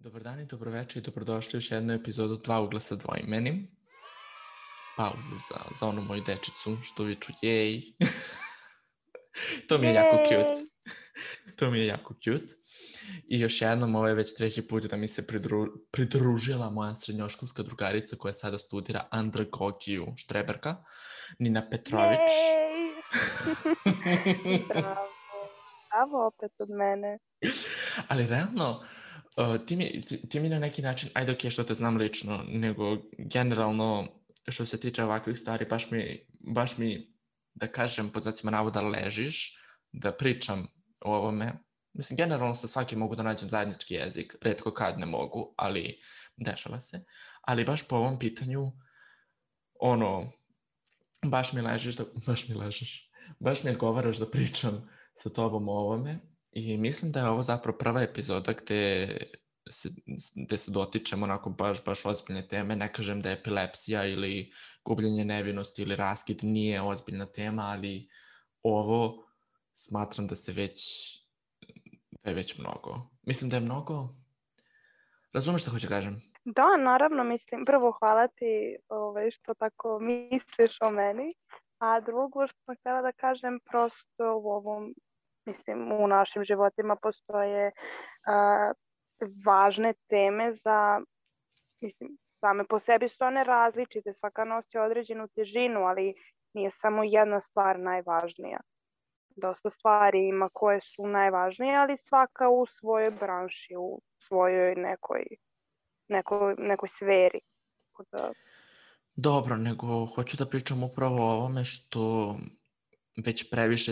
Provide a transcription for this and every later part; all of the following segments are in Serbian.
Dobar dan i dobroveče i dobrodošli u još jednu epizodu Dva ugla sa dvoimenim. Pauza za onu moju dečicu što viču jej. To mi je jako cute. To mi je jako cute. I još jednom, ovo je već treći put da mi se pridružila moja srednjoškolska drugarica koja sada studira andragogiju, štreberka, Nina Petrović. Bravo. Bravo opet od mene. Ali realno, ti mi na neki način, ajde ok, što te znam lično, nego generalno što se tiče ovakvih stvari, baš mi da kažem, pod znacima navoda, ležiš, da pričam o ovome. Mislim, generalno sa svakim mogu da nađem zajednički jezik, retko kad ne mogu, ali dešava se. Ali baš po ovom pitanju, baš mi odgovaraš da pričam sa tobom o ovome. I mislim da je ovo zapravo prva epizoda gde se dotičemo onako baš ozbiljne teme. Ne kažem da je epilepsija ili gubljenje nevinosti ili raskid nije ozbiljna tema, ali ovo smatram da je već mnogo. Mislim da je mnogo... Razumeš što hoću kažem? Da, naravno, mislim, prvo hvala ti što tako misliš o meni, a drugo što sam htjela da kažem, prosto u ovom, mislim, u našim životima postoje važne teme za, mislim, same po sebi su one različite, svaka nosi određenu težinu, ali nije samo jedna stvar najvažnija. Dosta stvari ima koje su najvažnije, ali svaka u svojoj branši, u svojoj nekoj sferi. Dobro, nego hoću da pričam upravo o ovome što već previše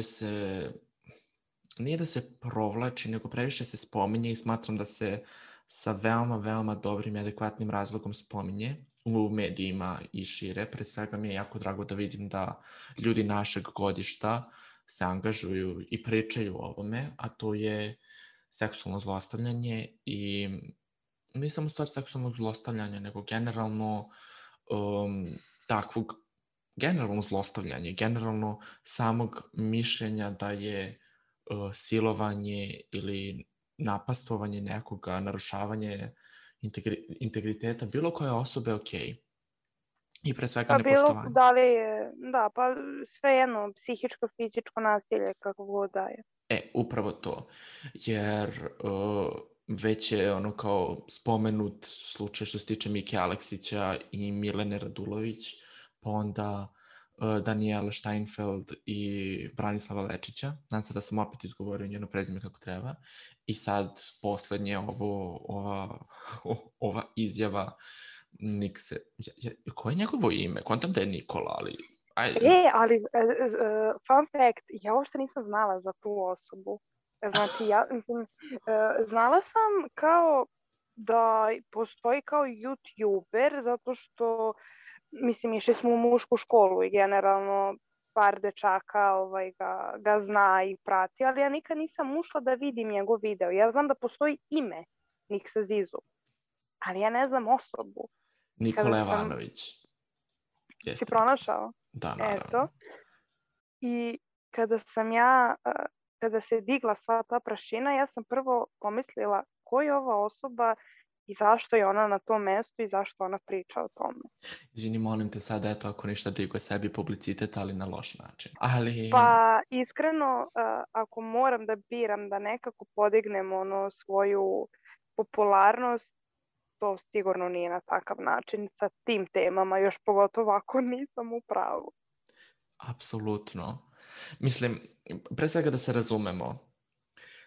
nije da se provlači, nego previše se spominje i smatram da se sa veoma, veoma dobrim i adekvatnim razlogom spominje u medijima i šire. Pre svega mi je jako drago da vidim da ljudi našeg godišta se angažuju i pričaju o ovome, a to je seksualno zlostavljanje i nije samo stvar seksualnog zlostavljanja, nego generalno takvog, generalno zlostavljanje, generalno samog mišljenja da je silovanje ili napastovanje nekoga, narušavanje integriteta bilo koje osobe ok. I pre svega nepoštovanje. Pa svejedno, psihičko, fizičko nasilje, kako god da je. Upravo to. Jer već je kao spomenut slučaj što se tiče Mike Aleksića i Milene Radulović, pa onda Daniela Steinfeld i Branislava Lečića. Nadam se da sam opet izgovorio njeno prezime kako treba. I sad poslednje ova izjava Nikse. Koje je njegovo ime? Kontam da je Nikola, ali... ali fun fact, ja uopšte nisam znala za tu osobu. Znači, znala sam kao da postoji kao YouTuber, zato što, mislim, išli smo u mušku školu i generalno par dečaka ga zna i prati, ali ja nikad nisam ušla da vidim njegov video. Ja znam da postoji ime Niksa Zizu, ali ja ne znam osobu. Nikola Jovanović. Si pronašao? Da, naravno. I kada se digla sva ta prašina, ja sam prvo pomislila ko je ova osoba i zašto je ona na tom mestu i zašto ona priča o tome. Izvini, molim te sad, ako ništa digo sebi publicitet, ali na loš način. Pa iskreno, ako moram da biram da nekako podignem svoju popularnost, to sigurno nije na takav način sa tim temama, još pogotovo ako nisam u pravu. Apsolutno. Mislim, pre svega da se razumemo,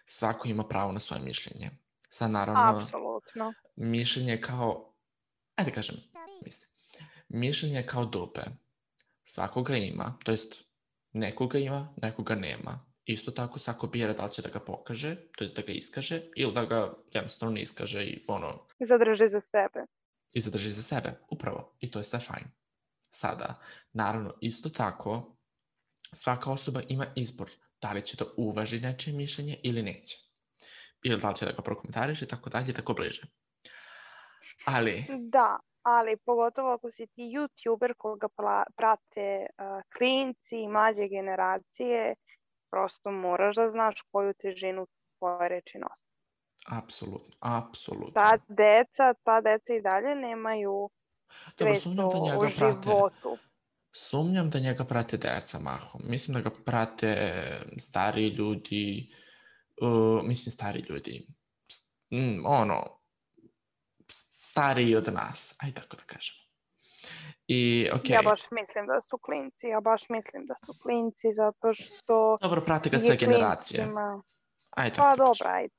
svako ima pravo na svoje mišljenje. Sad naravno, apsolutno. Mišljenje je kao, ajde kažem, mišljenje je kao dupe. Svakoga ima, to jest nekoga ima, nekoga nema. Isto tako svako bira da li će da ga pokaže, to jest da ga iskaže, ili da ga jednostavno ne iskaže i zadrži za sebe. I zadrži za sebe, upravo. I to je sve fajn. Sada, naravno, isto tako, svaka osoba ima izbor da li će da uvaži nečije mišljenje ili neće. Ili da li će da ga prokomentariše i tako dalje i tako bliže. Da, ali pogotovo ako si ti YouTuber koga prate klinci i mlađe generacije, prosto moraš da znaš koju težinu tvoje reči nosi. Apsolutno. Ta deca i dalje nemaju Dobro, svest o životu. Sumnjam da njega prate deca mahom. Mislim da ga prate stariji ljudi, stariji od nas, aj tako da kažem. I, okej. Ja baš mislim da su klinci zato što Dobro, prate ga je sve generacije. klincima... Aj tako Pa da dobro, kažem. ajde.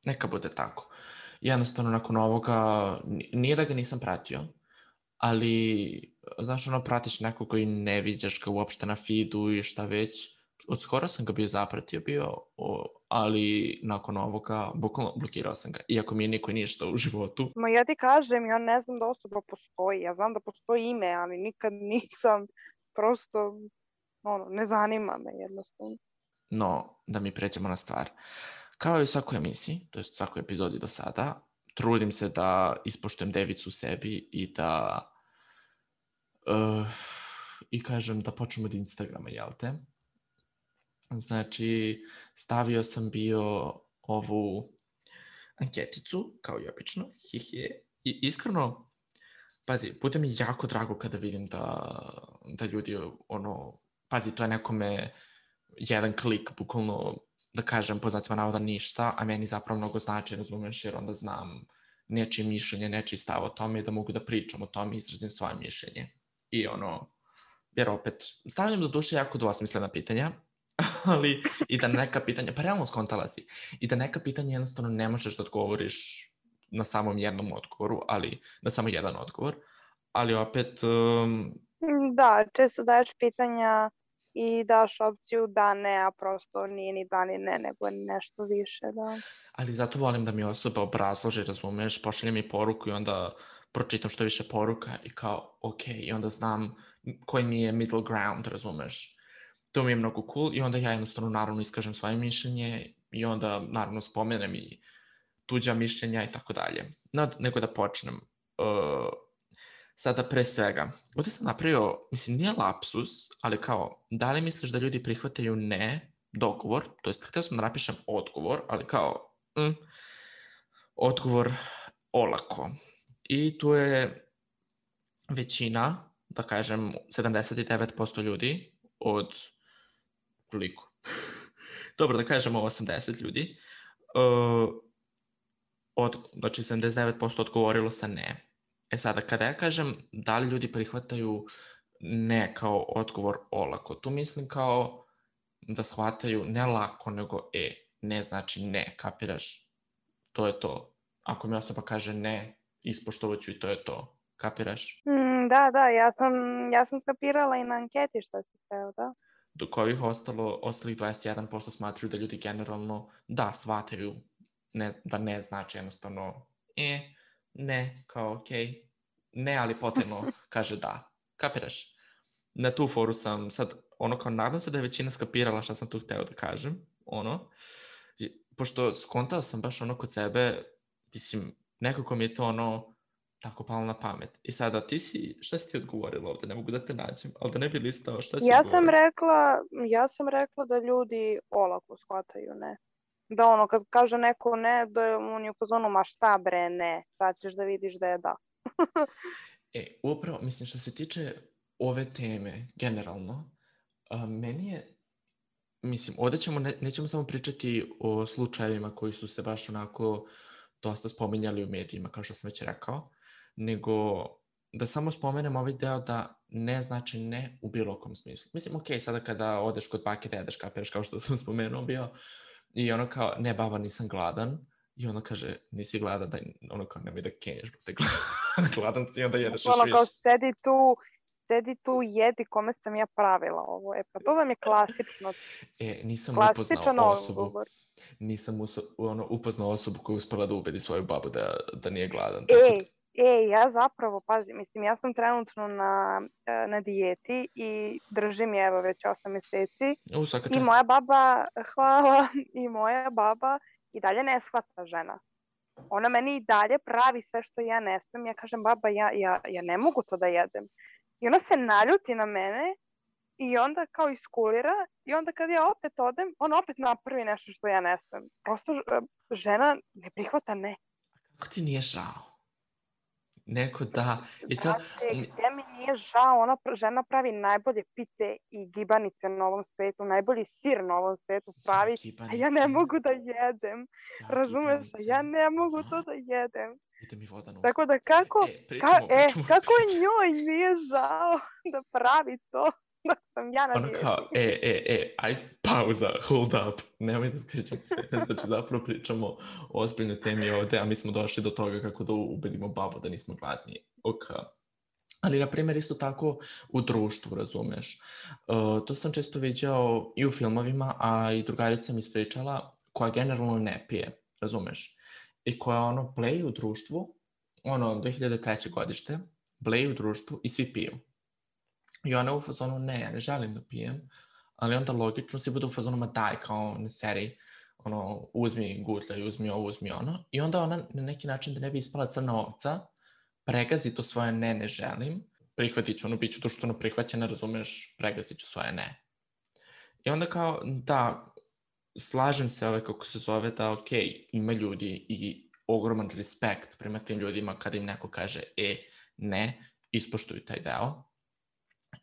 Neka bude tako. Jednostavno, nakon ovoga, nije da ga nisam pratio, ali, znaš, pratiš nekog koji ne viđaš ga uopšte na feedu i šta već. Od skoro sam ga zapratio ali nakon ovoga, bukvalno blokirao sam ga, iako mi je niko ništa u životu. Ma ja ti kažem, ja ne znam da osoba postoji. Ja znam da postoji ime, ali nikad nisam, prosto, ne zanima me jednostavno. No, da mi pređemo na stvar. Kao i u svakoj emisiji, to je svakoj epizodi do sada, trudim se da ispoštujem devicu u sebi i da i kažem da počnemo od Instagrama, jel te? Znači, stavio sam bio ovu anketicu, kao i obično, i iskreno, pazi, bude mi jako drago kada vidim da ljudi, pazi, to je nekome jedan klik, bukvalno, da kažem, po znacima navoda ništa, a meni zapravo mnogo znači, razumeš, jer onda znam nečije mišljenje, nečiji stav o tome i da mogu da pričam o tome i izrazim svoje mišljenje. I jer opet, stavljam do duše jako dvosmislena pitanja, ali i da neka pitanja, pa realno skontala si, i da neka pitanja jednostavno ne možeš da odgovoriš na samom jednom odgovoru, ali na samo jedan odgovor, ali opet... Da, često daješ pitanja i daš opciju da ne, a prosto nije ni da ni ne, nego nešto više, da. Ali zato volim da mi osoba obrazloži, razumeš, pošalje mi poruku i onda pročitam što više poruka i kao, ok, i onda znam koji mi je middle ground, razumeš. To mi je mnogo cool i onda ja jednostavno naravno iskažem svoje mišljenje i onda naravno spomenem i tuđa mišljenja i tako dalje. Nego da počnem. Sada pre svega, ovdje sam napravio, mislim, nije lapsus, ali kao, da li misliš da ljudi prihvataju ne dogovor, to jest htio sam da napišem odgovor, ali kao, odgovor olako. I tu je većina, da kažem, 79% ljudi od koliko? Dobro, da kažemo 80 ljudi. Znači, 79% odgovorilo sa ne. Sada, kada ja kažem da li ljudi prihvataju ne kao odgovor olako, tu mislim kao da shvataju ne lako, nego ne znači ne, kapiraš? To je to. Ako mi osoba kaže ne, ispoštovat ću i to je to. Kapiraš? Da, ja sam skapirala i na anketi šta si hteo, da. Dok ovih ostalih 21% smatruju da ljudi generalno da shvataju da ne znači jednostavno ne, kao okej. Ne, ali potrebno kaže da. Kapiraš? Na tu foru sam sad, kao nadam se da je većina skapirala šta sam tu hteo da kažem, pošto skontao sam baš kod sebe, mislim, nekako mi je to tako palo na pamet. I sada, šta si ti odgovorila ovde? Ne mogu da te nađem, ali da ne bi listao, šta si odgovorila? Ja sam rekla da ljudi olako shvataju ne. Da kad kaže neko ne, da on je u fazonu, ma šta bre ne, sad ćeš da vidiš da je da. Upravo, mislim, što se tiče ove teme, generalno, meni je, mislim, ovdje nećemo samo pričati o slučajevima koji su se baš dosta spominjali u medijima, kao što sam već rekao, nego da samo spomenem ovaj deo da ne znači ne u bilo kom smislu. Mislim, okej, sada kada odeš kod bake da jedeš, kapiraš, kao što sam spomenuo bio, i kao, ne baba, nisam gladan, i kaže, nisi gladan, kao, nemoj da kenješ, te gladan ti, onda jedeš još više. Kao, sedi tu, jedi kome sam ja pravila ovo. Pa to vam je klasično. Nisam upoznao osobu koja je uspela da ubedi svoju babu da nije gladan. Ja zapravo, pazi, mislim, ja sam trenutno na dijeti i držim je već 8 mjeseci. I moja baba, hvala, i moja baba i dalje ne shvata žena. Ona meni i dalje pravi sve što ja ne smijem. Ja kažem, baba, ja ne mogu to da jedem. I ona se naljuti na mene i onda kao iskulira i onda kad ja opet odem, on opet napravi nešto što ja ne smem. Prosto žena ne prihvata ne. Kako ti nije žao? Neko da... I to... Brate, gde mi nije žao, ona žena pravi najbolje pite i gibanice na ovom svetu, najbolji sir na ovom svetu pravi, a ja ne mogu da jedem. Razumeš? Ja ne mogu to da jedem. Ide mi voda na usta. Tako da kako je njoj nije žao da pravi to da sam ja na dijeti. Ono kao, aj pauza, hold up, nemoj da skrećemo s teme, znači zapravo pričamo o ozbiljnoj temi ovde, a mi smo došli do toga kako da ubedimo babu da nismo gladni. Ok. Ali, na primjer, isto tako u društvu, razumeš. To sam često viđao i u filmovima, a i drugarica mi ispričala, koja generalno ne pije, razumeš. I koja bleji u društvu, 2003. godište, bleji u društvu i svi piju. I ona u fazonu, ne, ja ne želim da pijem, ali onda logično svi budu u fazonu, ma daj, kao ne seri, uzmi gutljaj, uzmi ovo, uzmi ono. I onda ona na neki način da ne bi ispala crna ovca, pregazi to svoje ne želim, prihvatit ću bit ću društveno prihvaćena, razumeš, pregazit ću svoje ne. I onda kao, da, slažem se kako se zove da, okej, ima ljudi i ogroman respekt prema tim ljudima kada im neko kaže, ne, ispoštuju taj deo,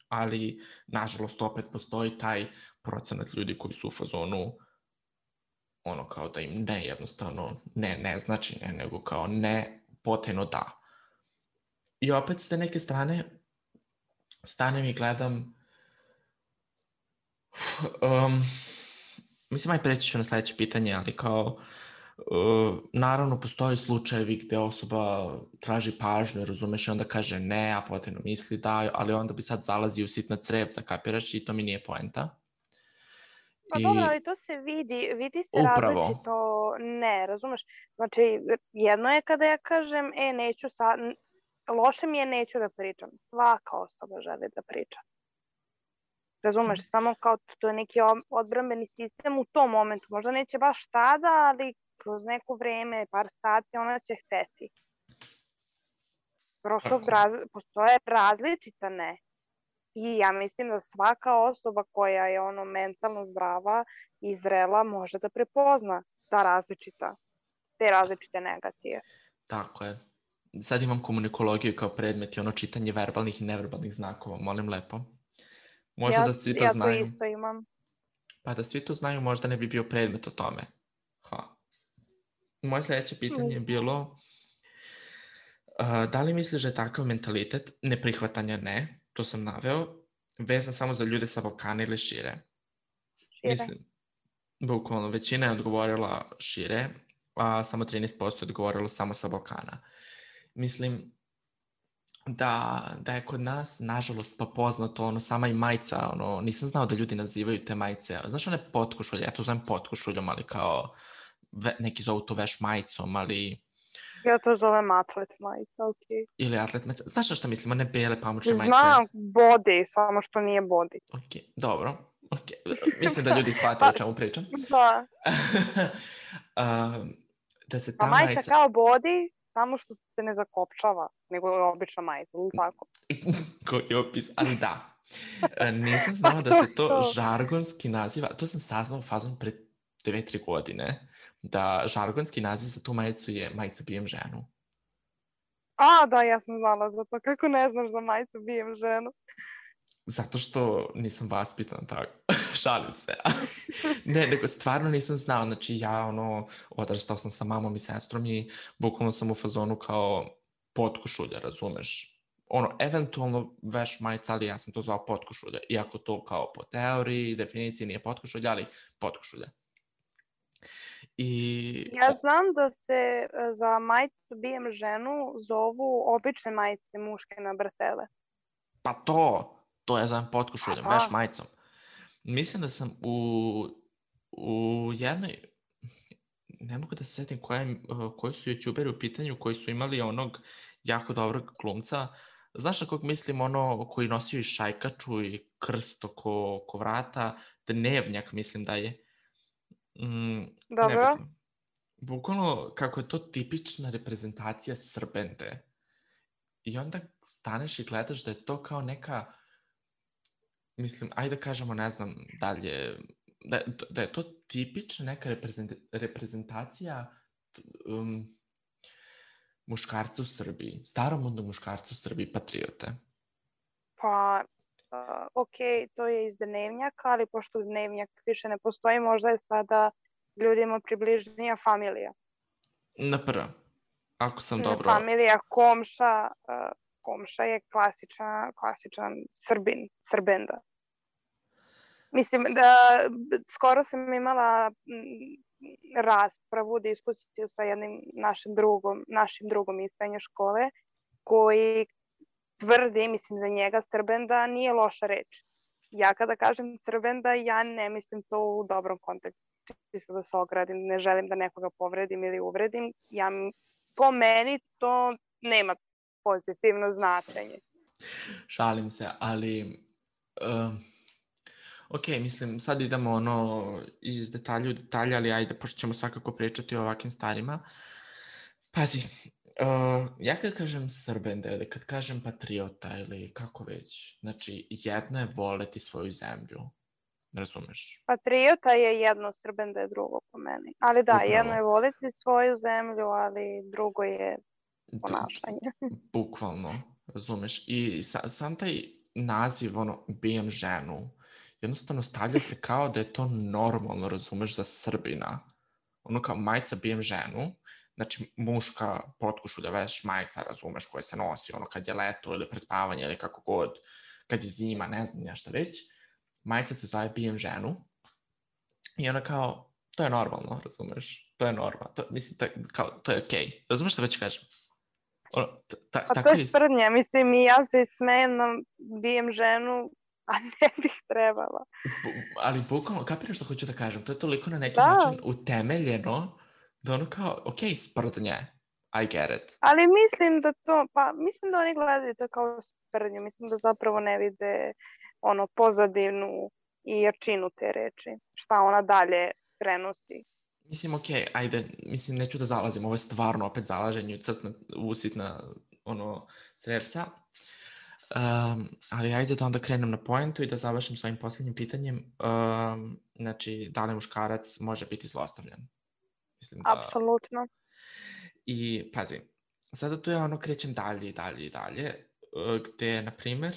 ali, nažalost, opet postoji taj procenat ljudi koji su u fazonu, kao da im ne jednostavno, ne znači ne, nego kao ne, potajno da. I opet s te neke strane, stanem i gledam, mislim, aj preći ću na sledeće pitanje, ali kao, naravno, postoji slučajevi gde osoba traži pažnju, razumeš, i onda kaže ne, a potajno misli da, ali onda bi sad zalazi u sitna crevca, kapiraš, i to mi nije poenta. Pa dobro, ali to se vidi se različito, ne, razumeš, znači jedno je kada ja kažem, neću sad, loše mi je, neću da pričam, svaka osoba želi da priča. Razumeš, samo kao to je neki odbrambeni sistem u tom momentu, možda neće baš tada, ali kroz neko vreme, par sati, ona će hteti. Prosto postoje različita ne. I ja mislim da svaka osoba koja je mentalno zdrava i zrela može da prepozna te različite negacije. Tako je. Sad imam komunikologiju kao predmet i čitanje verbalnih i neverbalnih znakova, molim lepo. Možda da svi to znaju. Ja to isto imam. Pa da svi to znaju, možda ne bi bio predmet o tome. Moje sledeće pitanje je bilo, da li misliš da je takav mentalitet neprihvatanja ne, to sam naveo, vezan samo za ljude sa Balkana ili šire? Mislim, bukvalno, većina je odgovorila šire, a samo 13% je odgovorilo samo sa Balkana. Mislim da je kod nas, nažalost, pa poznato, sama i majica, nisam znao da ljudi nazivaju te majice. Znaš one potkošulje, ja to zovem potkošuljom, ali kao, neki zovu to veš majicom, ali... Ja to zovem atlet majica, okej. Ili atlet majica. Znaš na šta mislim, one bele pamučne majice? Znam, body, samo što nije body. Okej, dobro. Mislim da ljudi shvataju o čemu pričam. Da. Da se ta majica kao body, samo što se ne zakopčava, nego je obična majica, ili tako? Koji opis, ali da. Nisam znao da se to žargonski naziva, to sam saznao fazom pre 2-3 godine, da žargonski naziv za tu majicu je majica bijem ženu. Da, ja sam znala za to. Kako ne znaš za majicu bijem ženu? Zato što nisam vaspitan tako. Šalim se. Ne, nego stvarno nisam znao. Znači ja odrastao sam sa mamom i sestrom i bukvalno sam u fazonu kao potkošulja, razumeš? Eventualno veš majica, ali ja sam to zvao potkošulja. Iako to kao po teoriji, definiciji nije potkošulja, ali potkošulja. Ja znam da se za majicu bijem ženu zovu obične majice muške na bretele. Pa to ja zovem potkošuljom, veš majicom. Mislim da sam u jednoj, ne mogu da se setim koji su youtuberi u pitanju, koji su imali onog jako dobrog glumca. Znaš na kog mislim, koji nosio i šajkaču i krst oko vrata, Dnevnjak mislim da je. Dobro. Bukvalno kako je to tipična reprezentacija Srbente. I onda staneš i gledaš da je to kao neka, mislim, ajde da kažemo, ne znam, dalje, da je to tipična neka reprezentacija muškarca u Srbiji, staromodnog muškarca u Srbiji, patriote. Pa, ok, to je iz Dnevnjaka, ali pošto Dnevnjak više ne postoji, možda je sada ljudima približnija familija. Na prva, ako sam dobro... Familija Komša, Komša je klasičan Srbenda. Mislim da skoro sam imala raspravu, diskusiju sa jednim našim drugom iz srednje škole, koji tvrdi, mislim za njega, Srbenda nije loša reč. Ja kada kažem Srbenda, ja ne mislim to u dobrom kontekstu. Čisto da se ogradim, ne želim da nekoga povredim ili uvredim. Po meni to nema pozitivno značenje. Šalim se, ali... Ok, mislim, sad idemo iz detalja u detalja, ali ajde, pošto ćemo svakako pričati o ovakvim stvarima. Pazi, ja kad kažem Srbenda ili kad kažem patriota ili kako već, znači jedno je voleti svoju zemlju, razumeš? Patriota je jedno, Srbenda je drugo po meni. Ali da, Upravo. jedno je voleti svoju zemlju, ali drugo je ponašanje. Bukvalno, razumeš? I sam taj naziv, bijem ženu, jednostavno stavlja se kao da je to normalno, razumeš, za Srbina. Kao majica bijem ženu, znači muška potkušulja veš majica, razumeš, koja se nosi kad je leto ili prespavanje ili kako god, kad je zima, ne znam nešto već. Majica se zove bijem ženu i kao, to je normalno, razumeš, to je normalno, mislim, to je okej. Razumeš što već kažem? Pa to je sprdnja, mislim, i ja se smejem na bijem ženu, a ne bih trebala. Ali bukvalno, kapiraš što hoću da kažem, to je toliko na neki način utemeljeno da kao, ok, sprdnje, I get it. Ali mislim da oni gledaju to kao sprdnju, mislim da zapravo ne vide pozadinu i jačinu te reči, šta ona dalje prenosi. Mislim, ok, ajde, mislim, neću da zalazim, ovo je stvarno opet zalaženje usitna crevca. Ali ajde da onda krenem na poentu i da završim svojim posljednjim pitanjem. Znači, da li muškarac može biti zlostavljan? Mislim da... Apsolutno. I pazi, sada tu ja krećem dalje i dalje, gde, na primjer,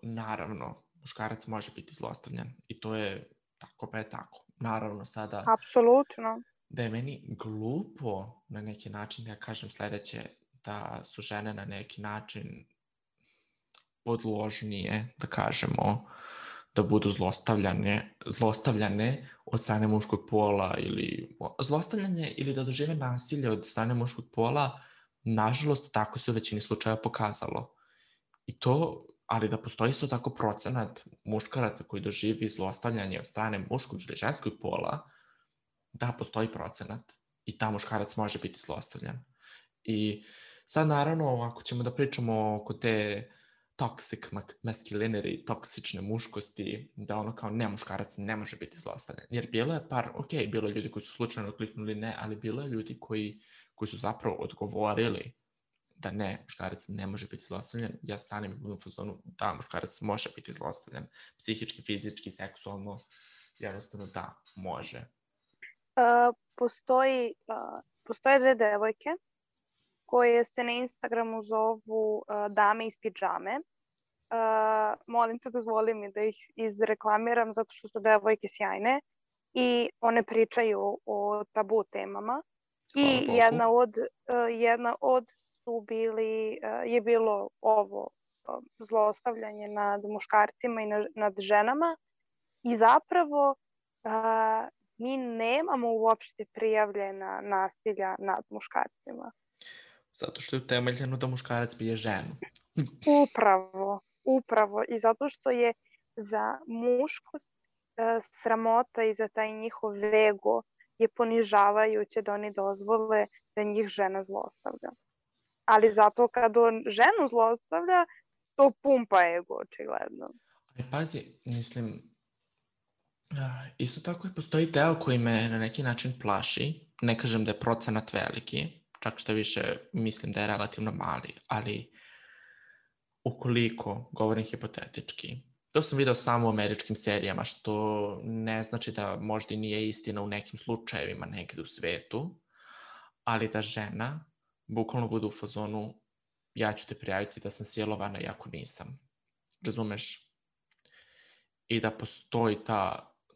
naravno, muškarac može biti zlostavljan i to je tako pa je tako. Naravno sada... Apsolutno. Da je meni glupo na neki način da ja kažem sledeće, da su žene na neki način podložnije, da kažemo, da budu zlostavljane od strane muškog pola ili zlostavljanje ili da dožive nasilje od strane muškog pola, nažalost, tako se u većini slučaja pokazalo. I to, ali da postoji isto tako procenat muškaraca koji doživi zlostavljanje od strane muškog ili ženskog pola, da postoji procenat i ta muškarac može biti zlostavljan. I sad naravno, ako ćemo da pričamo oko te toxic masculinity, toksične muškosti, da kao ne, muškarac ne može biti zlostavljan. Jer bilo je bilo je ljudi koji su slučajno kliknuli ne, ali bilo je ljudi koji su zapravo odgovorili da ne, muškarac ne može biti zlostavljan. Ja stanem i budem u fazonu da, muškarac može biti zlostavljan. Psihički, fizički, seksualno, jednostavno da, može. Postoje dve devojke koje se na Instagramu zovu Dame iz pidžame. Molim te, dozvoli mi da ih izreklamiram zato što su devojke sjajne i one pričaju o tabu temama. I jedna od je bilo ovo zlostavljanje nad muškarcima i nad ženama i zapravo mi nemamo uopšte prijavljena nasilja nad muškarcima. Zato što je utemeljeno da muškarac bije ženu. Upravo. I zato što je za muškost sramota i za taj njihov ego je ponižavajuće da oni dozvole da njih žena zlostavlja. Ali zato kad on ženu zlostavlja, to pumpa ego, očigledno. Ali pazi, mislim, isto tako i postoji deo koji me na neki način plaši. Ne kažem da je procenat veliki, čak što više mislim da je relativno mali, ali ukoliko, govorim hipotetički, to sam video samo u američkim serijama, što ne znači da možda i nije istina u nekim slučajevima negde u svetu, ali da žena bukvalno bude u fazonu ja ću te prijaviti da sam silovana iako nisam. Razumeš? I da postoji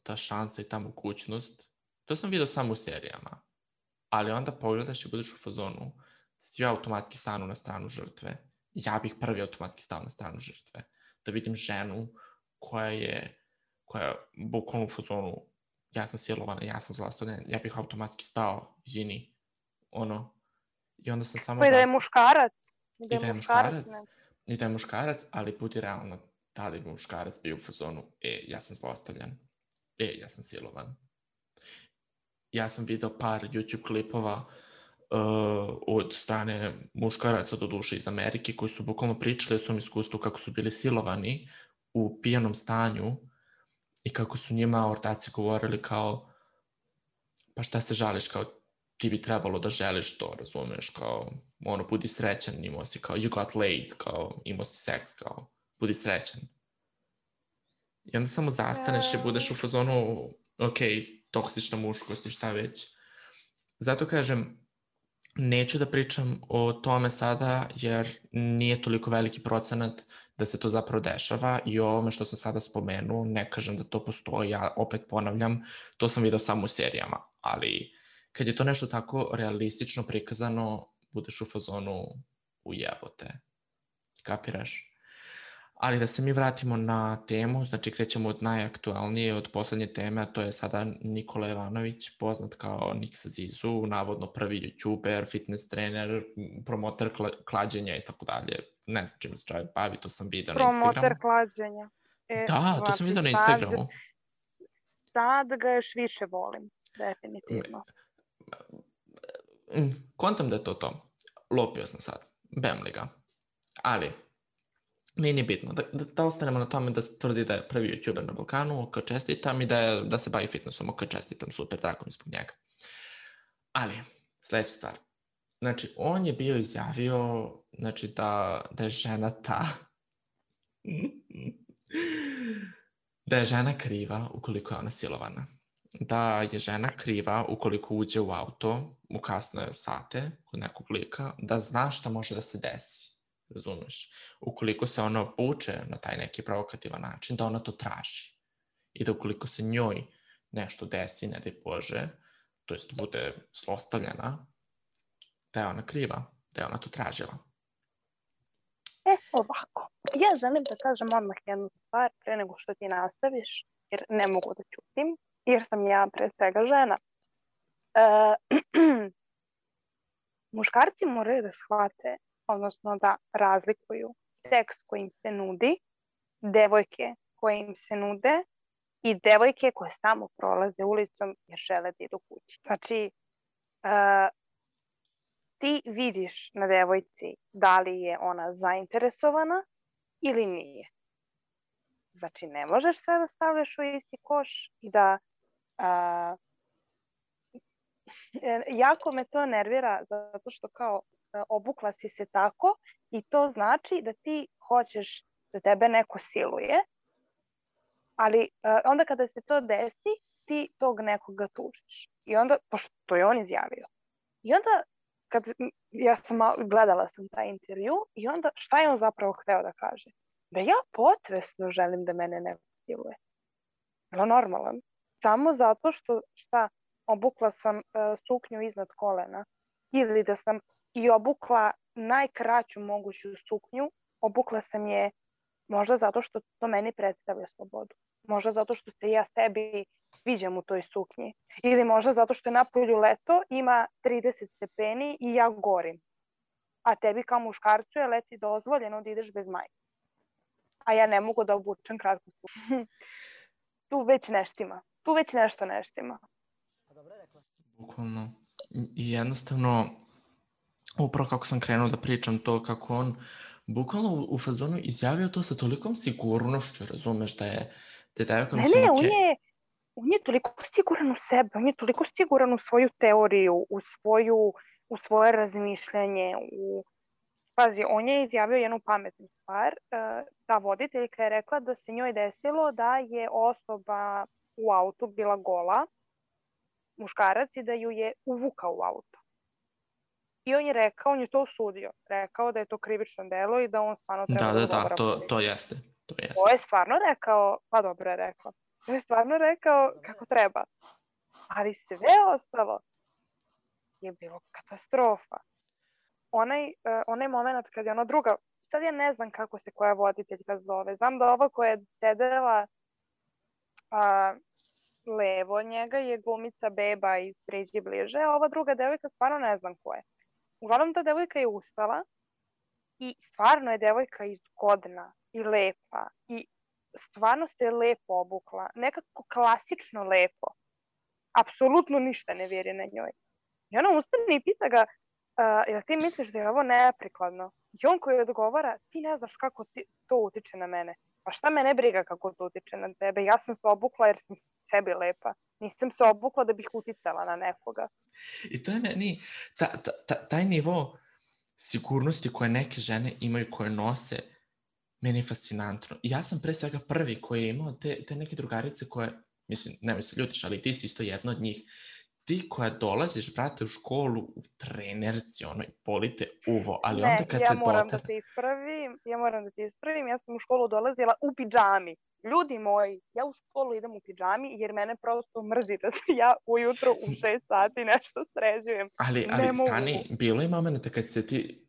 ta šansa i ta mogućnost. To sam video samo u serijama. Ali onda pogledaš i budeš u fazonu svi automatski stanu na stranu žrtve. Ja bih prvi automatski stao na stranu žrtve. Da vidim ženu koja je bukvalno u fazonu ja sam silovana, ja sam zlostavljena, ja bih automatski stao, izvini, i onda sam samo I da je muškarac. I da je muškarac, ali budi realno, da li muškarac bio u fazonu, ja sam zlostavljan, ja sam silovan. Ja sam video par YouTube klipova od strane muškaraca, do duše iz Amerike, koji su bukvalno pričali o svom iskustvu kako su bili silovani u pijanom stanju i kako su njima ortaci govorili kao pa šta se žališ, kao ti bi trebalo da želiš to, razumeš, kao budi srećan, imao si kao you got laid, kao imao si seks, kao budi srećan. I onda samo zastaneš i budeš u fazonu ok, toksična muškost i šta već. Zato kažem, neću da pričam o tome sada jer nije toliko veliki procenat da se to zapravo dešava i o ovome što sam sada spomenuo, ne kažem da to postoji, ja opet ponavljam, to sam video samo u serijama, ali kad je to nešto tako realistično prikazano, budeš u fazonu ujebote. Kapiraš? Ali da se mi vratimo na temu, znači krećemo od najaktualnije, od poslednje teme, a to je sada Nikola Jovanović, poznat kao Nik sa Zizu, navodno prvi youtuber, fitness trener, promoter klađenja i tako dalje. Ne znam čim se čovjek bavi, to sam video na Instagramu. Promoter klađenja. Da, to sam video na Instagramu. Sad ga još više volim, definitivno. Kontam da je to. Lopio sam sad. Bem li ga. Ali nije bitno. Da ostanemo na tome da se tvrdi da je prvi youtuber na Balkanu, ok, čestitam, i da se bavi fitnessom, ok, čestitam, super, drago mi zbog njega. Ali, sledeća stvar. Znači, on je bio izjavio, znači, da je žena da je žena kriva ukoliko je ona silovana. Da je žena kriva ukoliko uđe u auto u kasne sate kod nekog lika, da zna šta može da se desi. Razumeš? Ukoliko se ona obuče na taj neki provokativan način, da ona to traži. I da ukoliko se njoj nešto desi, ne daj Bože, to jest bude zlostavljena, da je ona kriva, da je ona to tražila. Ovako. Ja želim da kažem odmah jednu stvar pre nego što ti nastaviš, jer ne mogu da ćutim, jer sam ja pre svega žena. Muškarci moraju da shvate, odnosno da razlikuju seks koji im se nudi, devojke koje im se nude i devojke koje samo prolaze ulicom jer žele da idu kući. Znači, ti vidiš na devojci da li je ona zainteresovana ili nije. Znači, ne možeš sve da stavljaš u isti koš i da... jako me to nervira zato što kao obukla si se tako i to znači da ti hoćeš da tebe neko siluje, ali onda kada se to desi, ti tog nekoga tužiš. I onda, pošto je on izjavio. I onda, gledala sam taj intervju i onda šta je on zapravo hteo da kaže? Da ja potvesno želim da mene neko siluje. Je li normalan? Samo zato što obukla sam suknju iznad kolena ili da sam i obukla najkraću moguću suknju, obukla sam je možda zato što to meni predstavlja slobodu. Možda zato što se ja sebi sviđam u toj suknji. Ili možda zato što je napolju leto, ima 30 stepeni i ja gorim. A tebi kao muškarcu je leti dozvoljeno da ideš bez majke. A ja ne mogu da obučem kratku suknju. Tu već neštima. Tu već nešto neštima. Bukvalno. I jednostavno, upravo kako sam krenuo da pričam to, kako on bukvalno u fazonu izjavio to sa tolikom sigurnošću, razumeš, da je devojka mislim okej. On je toliko siguran u sebe, on je toliko siguran u svoju teoriju, u svoje razmišljanje, pazi, on je izjavio jednu pametnu stvar. Ta voditeljka je rekla da se njoj desilo da je osoba u autu bila gola, muškarac, i da ju je uvukao u auto. I on je rekao, on je to osudio. Rekao da je to krivično delo i da on stvarno treba da odgovara. To jeste. To je stvarno rekao, pa dobro je rekao. To je stvarno rekao kako treba. Ali sve ostalo je bilo katastrofa. Onaj moment kad je ona druga, sad ja ne znam kako se koja voditeljka zove. Znam da ova koja je sedela levo od njega je glumica Beba iz Priđi bliže, a ova druga devojka stvarno ne znam ko je. Uglavnom ta devojka je ustala i stvarno je devojka izgodna i lepa i stvarno se lepo obukla. Nekako klasično lepo. Apsolutno ništa ne vjeri na njoj. I ona ustane i pita ga, jel ti misliš da je ovo neprikladno? I on koji odgovara, ti ne znaš kako to utiče na mene. Pa šta me ne briga kako to utiče na tebe? Ja sam se obukla jer sam sebi lepa. Nisam se obukla da bih uticala na nekoga. I to je meni, taj nivo sigurnosti koje neke žene imaju, koje nose, meni je fascinantno. I ja sam pre svega prvi koji je imao te neke drugarice koje, mislim, nemoj se ljutiš, ali ti si isto jedna od njih. Ti koja dolaziš, brate, u školu, u trenerci, polite uvo, ali onda kad se Ja moram da te ispravim, ja sam u školu dolazila u pidžami. Ljudi moji, ja u školu idem u pidžami jer mene prosto mrzi da se ja ujutro u 6 sati nešto sređujem. Ali stani, bilo je momenta kad se ti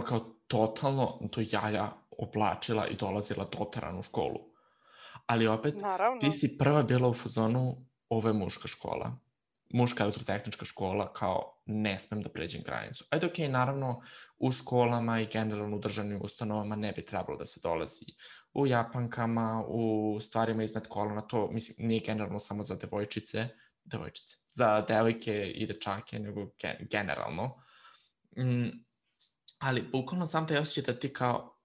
kao totalno to jaja oblačila i dolazila dotaran u školu. Ali opet, naravno, ti si prva bila u fazonu, ovo je muška škola. Muška elektrotehnička škola, kao ne smem da pređem granicu. Ajde, okej, naravno, u školama i generalno u državnim ustanovama ne bi trebalo da se dolazi u japankama, u stvarima iznad kolona, to, mislim, nije generalno samo za devojčice, za devojke i dečake, nego generalno. Ali, bukvalno sam taj osjećaj da ti kao,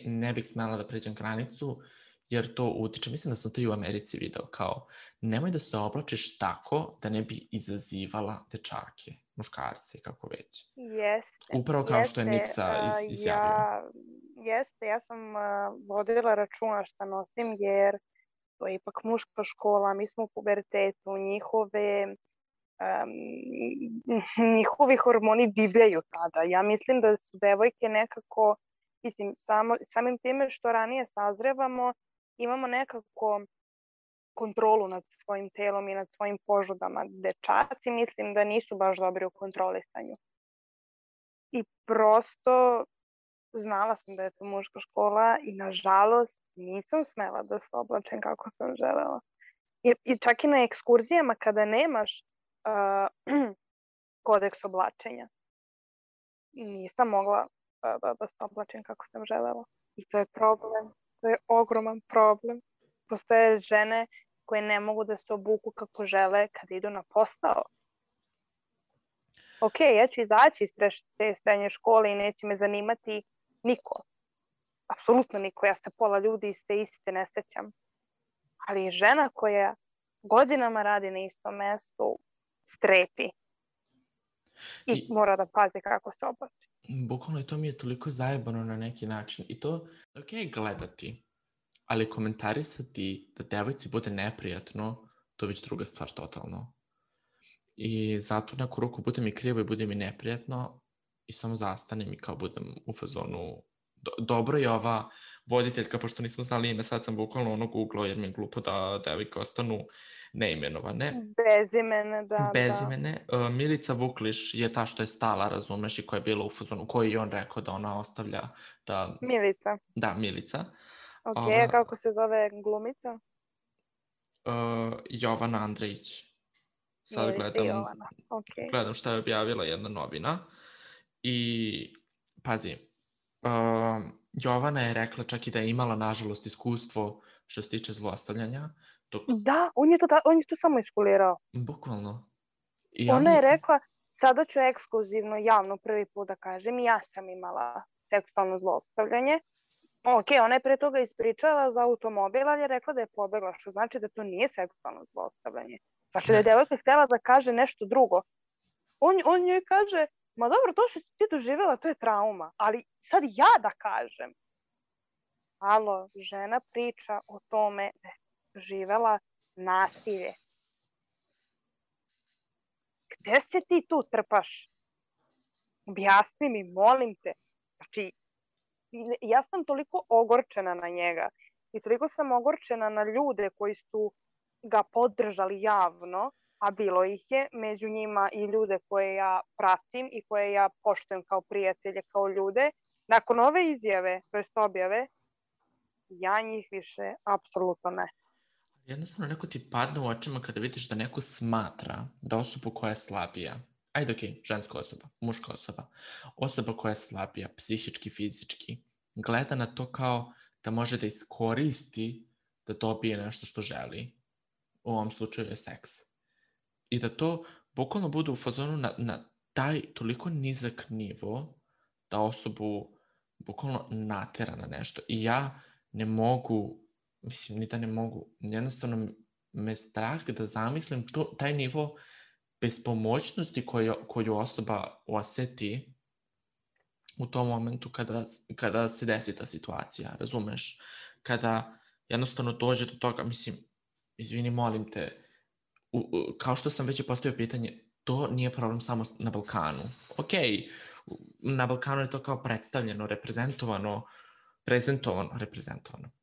ne bih smela da pređem granicu, jer to utiče, mislim da sam to i u Americi video, kao, nemoj da se oblačiš tako da ne bi izazivala dečake, muškarce, kako već. Jeste. Upravo kao što je Niksa izjavio. Jeste, ja sam vodila računa šta nosim, jer to je ipak muška škola, mi smo u pubertetu, njihovi hormoni divljaju tada. Ja mislim da su devojke nekako, mislim, samim time što ranije sazrevamo, imamo nekako kontrolu nad svojim telom i nad svojim požudama. Dečaci mislim da nisu baš dobri u kontrolisanju. I prosto znala sam da je to muška škola i nažalost nisam smela da se oblačem kako sam želela. I čak i na ekskurzijama kada nemaš kodeks oblačenja, nisam mogla da se oblačim kako sam želela. I to je problem. To je ogroman problem. Postoje žene koje ne mogu da se obuku kako žele kada idu na posao. Ok, ja ću izaći iz te srednje škole i neće me zanimati niko. Apsolutno niko. Ja se pola ljudi iz te iste ne sećam. Ali žena koja godinama radi na istom mestu strepi. I mora da pazi kako se oblači. Bukvalno to mi je toliko zajebano na neki način. I to, ok, gledati, ali komentarisati da devojci bude neprijatno, to je već druga stvar totalno. I zato neku ruku bude mi krivo i bude mi neprijatno i samo zastanem i kao budem u fazonu. Dobro je ova voditeljka, pošto nismo znali ime, sad sam bukvalno googlao jer mi je glupo da devojke ostanu neimenovane. Bezimene. Milica Vukliš je ta što je stala, razumeš, i koja je bila u fazonu, koji je on rekao da ona ostavlja da... Milica. Da, Milica. Ok, kako se zove glumica? Jovana Andrejić. Sad gledam šta je objavila jedna novina. I, pazi, Jovana je rekla čak i da je imala, nažalost, iskustvo što se tiče zlostavljanja. Da, on je to samo iskulirao. Bukvalno. Ona je rekla, sada ću ekskluzivno, javno prvi put da kažem, ja sam imala seksualno zlostavljanje. Ok, ona je pre toga ispričala za automobil, ali je rekla da je pobegla, što znači da to nije seksualno zlostavljanje. Znači da je devojka htjela da kaže nešto drugo. On joj kaže, ma dobro, to što si ti doživjela, to je trauma, ali sad ja da kažem, alo, žena priča o tome da je doživjela nasilje. Gde se ti tu trpaš? Objasni mi, molim te. Znači, ja sam toliko ogorčena na njega i toliko sam ogorčena na ljude koji su ga podržali javno, a bilo ih je, među njima i ljude koje ja pratim i koje ja poštujem kao prijatelje, kao ljude. Nakon ove izjave, to jest objave, ja njih više apsolutno ne. Jednostavno neko ti padne u očima kada vidiš da neko smatra da osoba koja je slabija, ajde okej, ženska osoba, muška osoba, osoba koja je slabija, psihički, fizički, gleda na to kao da može da iskoristi da dobije nešto što želi. U ovom slučaju je seks. I da to bukvalno bude u fazonu na taj toliko nizak nivo da osobu bukvalno natera na nešto. I ja ne mogu, mislim, ni da ne mogu, jednostavno me strah da zamislim taj nivo bespomoćnosti koju osoba oseti u tom momentu kada se desi ta situacija, razumeš? Kada jednostavno dođe do toga, mislim, izvini, molim te, kao što sam već postavio pitanje, to nije problem samo na Balkanu. Okej, na Balkanu je to kao predstavljeno,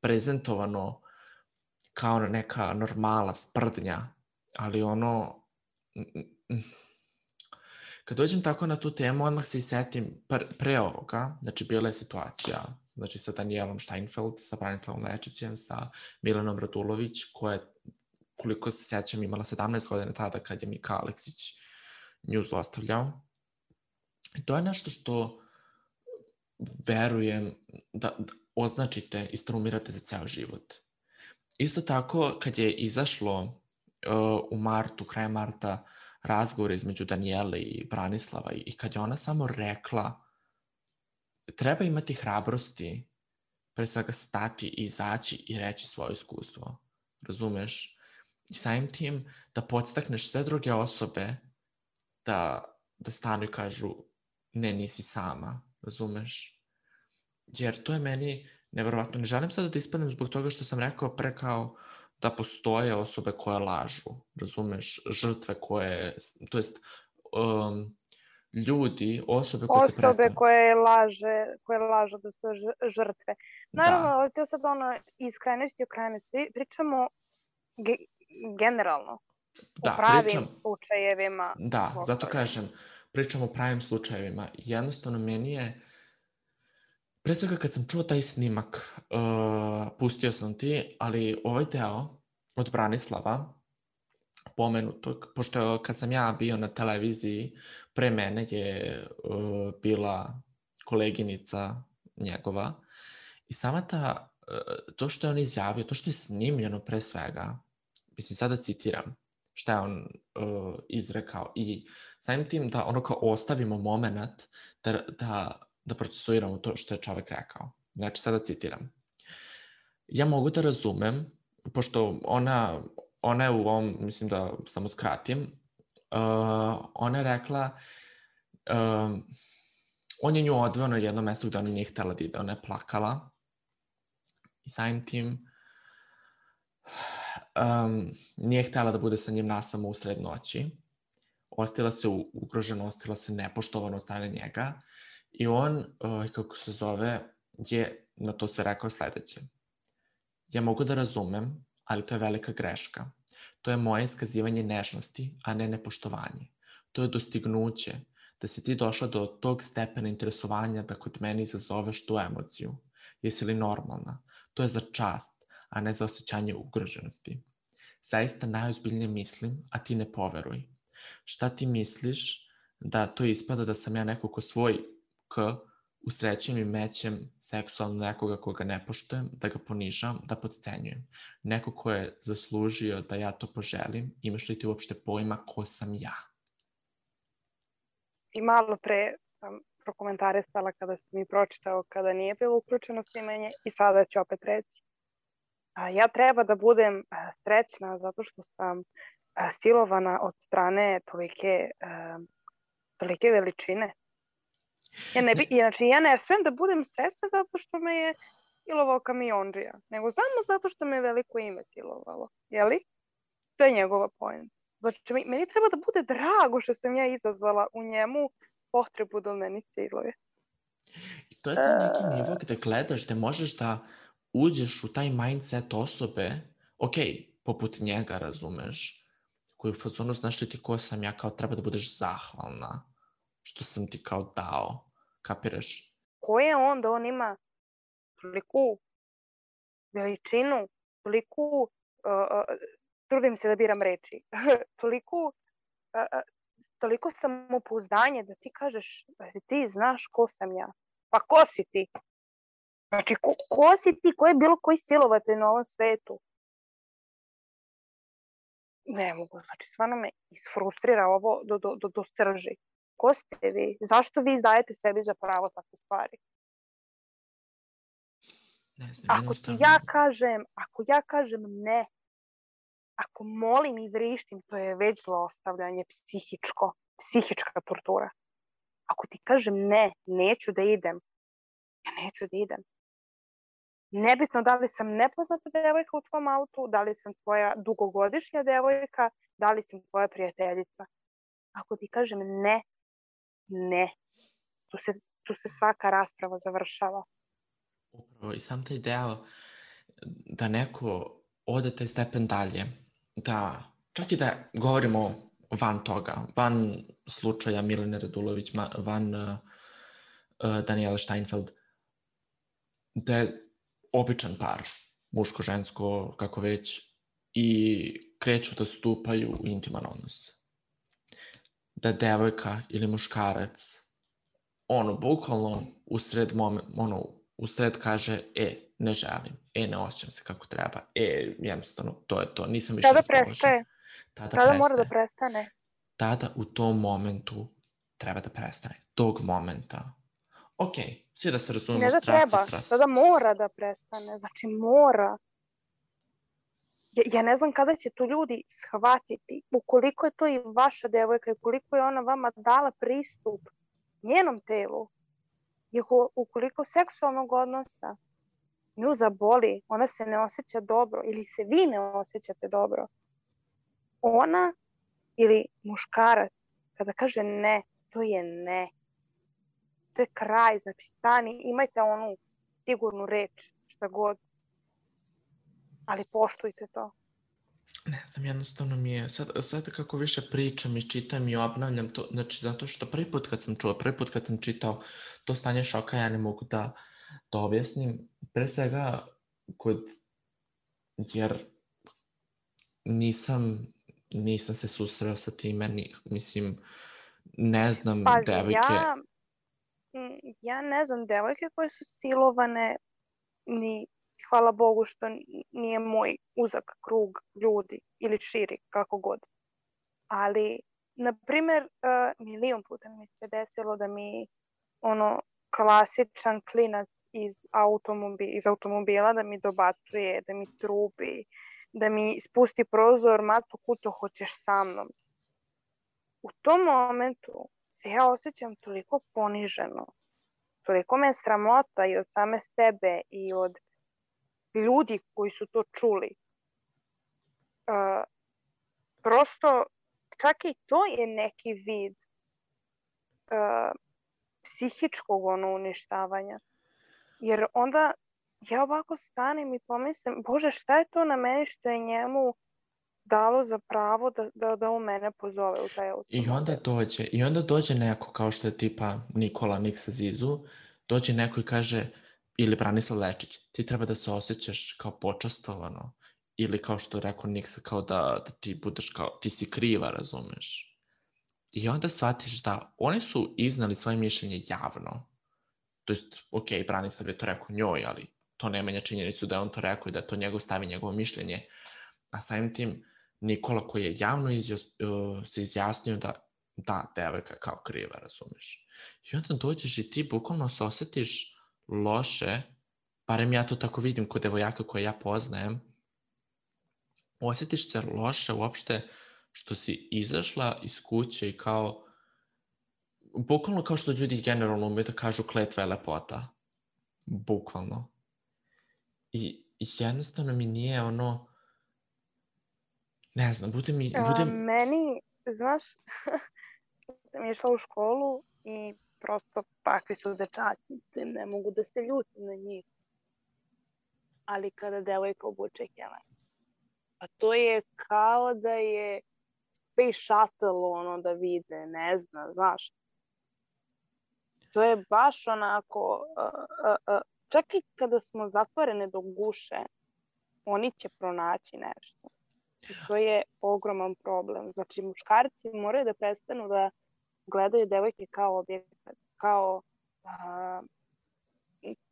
prezentovano kao neka normala, sprdnja, ali ono, kad dođem tako na tu temu, odmah se i setim pre ovoga, znači bila je situacija, znači sa Danielom Steinfeld, sa Branislavom Lečićem, sa Milanom Radulović, koja je, koliko se sećam, imala 17 godina tada kad je Mika Aleksić nju zlostavljao. I to je nešto što verujem da označite i straumirate za ceo život. Isto tako, kad je izašlo u martu, krajem marta, razgovor između Danijele i Branislava i kad je ona samo rekla treba imati hrabrosti, pre svega stati, izaći i reći svoje iskustvo. Razumeš? I samim tim da podstakneš sve druge osobe da stanu i kažu ne, nisi sama. Razumeš? Jer to je meni neverovatno. Ne želim sada da ispadnem zbog toga što sam rekao pre kao da postoje osobe koje lažu. Razumeš? Žrtve koje, to jest ljudi, osobe koje se predstavljaju. Osobe koje lažu da su žrtve. Naravno, ali to sad iz krajnosti u krajnosti pričamo generalno. U pravim slučajevima. Da, zato kažem, pričamo o pravim slučajevima. Jednostavno, meni je, pre svega kad sam čuo taj snimak, pustio sam ti, ali ovaj deo od Branislava, pomenutog, pošto kad sam ja bio na televiziji, pre mene je bila koleginica njegova i sama to što je on izjavio, to što je snimljeno pre svega, mislim sada citiram šta je on izrekao i samim tim da ono kao ostavimo moment da procesuiramo to što je čovek rekao. Znači sada citiram. Ja mogu da razumem, pošto ona je u ovom, mislim da samo skratim, ona je rekla, on je nju odveo na jedno mesto gde ona nije htela da ide, ona je plakala i samim tim nije htela da bude sa njim nasamo usred noći, ostila se ugroženo, ostila se nepoštovano od strane njega i on, kako se zove, je na to sve rekao sledeće. Ja mogu da razumem, ali to je velika greška. To je moje iskazivanje nežnosti, a ne nepoštovanje. To je dostignuće, da si ti došla do tog stepena interesovanja da kod mene izazoveš tu emociju. Jesi li normalna? To je za čast, a ne za osjećanje ugroženosti. Zaista najozbiljnije mislim, a ti ne poveruj. Šta ti misliš da to ispada da sam ja neko ko svoj usrećujem i mećem seksualno nekoga koga ne poštujem, da ga ponižam, da podcenjujem. Neko ko je zaslužio da ja to poželim, imaš li ti uopšte pojma ko sam ja? I malo pre sam prokomentarisala kada sam mi pročitao, kada nije bilo uključeno snimanje i sada ću opet reći. Ja treba da budem srećna zato što sam silovana od strane tolike veličine. Znači, ja ne smem da budem srećna zato što me je silovao kamiondžija, nego samo zato što me veliko ime silovalo. Jeli? To je njegova point. Znači, meni treba da bude drago što sam ja izazvala u njemu potrebu da meni siluje. I to je taj neki nivo gde gledaš, gde možeš da uđeš u taj mindset osobe, ok, poput njega, razumeš, koji u fazonu, znaš li ti ko sam ja, kao treba da budeš zahvalna što sam ti kao dao, kapiraš? Ko je on da on ima toliku veličinu, toliku, trudim se da biram reči, toliko samopouzdanje da ti kažeš, ti znaš ko sam ja. Pa ko si ti? Znači, ko si ti? Ko je bilo koji silovatelj na ovom svetu? Ne mogu, znači, stvarno me isfrustrira ovo do srži. Ko ste vi? Zašto vi izdajete sebi za pravo takve stvari? Ne znam, Ako ja kažem ne, ako molim i vrištim, to je već zlostavljanje psihička tortura. Ako ti kažem ne, neću da idem, ja neću da idem. Nebitno da li sam nepoznata devojka u tvom autu, da li sam tvoja dugogodišnja devojka, da li sam tvoja prijateljica. Ako ti kažem ne, ne. Tu se svaka rasprava završava. Upravo, i sam taj deo da neko ode taj stepen dalje, da čak i da govorimo van toga, van slučaja Milene Radulović, van Daniela Steinfeld, da je običan par, muško-žensko, kako već, i kreću da stupaju u intiman odnos. Da devojka ili muškarac, bukvalno usred kaže, ne želim, ne osjećam se kako treba, jednostavno, to je to, nisam više raspoložen. Tada mora da prestane. Tada u tom momentu treba da prestane. Tog momenta. Ok, svi da se razumemo, strast. Tada mora da prestane, znači mora. Ja ne znam kada će to ljudi shvatiti, ukoliko je to i vaša devojka i ukoliko je ona vama dala pristup njenom telu, ukoliko seksualnog odnosa nju zaboli, ona se ne osjeća dobro ili se vi ne osjećate dobro, ona ili muškarac kada kaže ne, to je ne. To je kraj, znači stani, imajte onu sigurnu reč, šta god. Ali poštujte to. Ne znam, jednostavno mi je, sad kako više pričam i čitam i obnavljam to, znači zato što prvi put kad sam čitao to stanje šoka, ja ne mogu da objasnim, pre svega jer nisam se susreo sa time, mislim, ne znam devojke. Ja ne znam devojke koje su silovane, ni hvala Bogu što nije moj uzak krug ljudi ili širi, kako god. Ali, na primjer, milion puta mi se desilo da mi klasičan klinac iz automobila da mi dobacuje, da mi trubi, da mi spusti prozor, Mato, kuto hoćeš sa mnom. U tom momentu se ja osjećam toliko poniženo, toliko me je sramota i od same sebe i od ljudi koji su to čuli. Prosto, čak i to je neki vid psihičkog uništavanja. Jer onda ja ovako stanem i pomislim, Bože, šta je to na meni što je njemu dalo za pravo da on mene pozove u taj automobil. I onda dođe neko kao što je tipa Nikola Niksa Zizu, dođe neko i kaže, ili Branislav Lečić, ti treba da se osjećaš kao počastovano, ili kao što je rekao Niksa, kao da ti budeš kao, ti si kriva, razumeš. I onda shvatiš da oni su iznali svoje mišljenje javno. To jest, ok, Branislav je to rekao njoj, ali to ne menja činjenicu da je on to rekao i da to njegov stavi njegovo mišljenje. A samim tim, Nikola koji je javno se izjasnio da devojka je kao kriva, razumeš. I onda dođeš i ti bukvalno se osjetiš loše, barem ja to tako vidim kod devojaka koje ja poznajem, osjetiš se loše uopšte što si izašla iz kuće i kao bukvalno kao što ljudi generalno umiju da kažu kletva je lepota. Bukvalno. I jednostavno mi nije ono, ne znam, Meni, znaš, sam išla u školu i prosto takvi su dečaci, mislim, ne mogu da se ljutim na njih. Ali kada devojka obuče kelen, a to je kao da je Space Shuttle, ono, da vide, ne znam, znaš. To je baš onako, čak i kada smo zatvorene do guše, oni će pronaći nešto. I to je ogroman problem. Znači, muškarci moraju da prestanu da gledaju devojke kao objekat,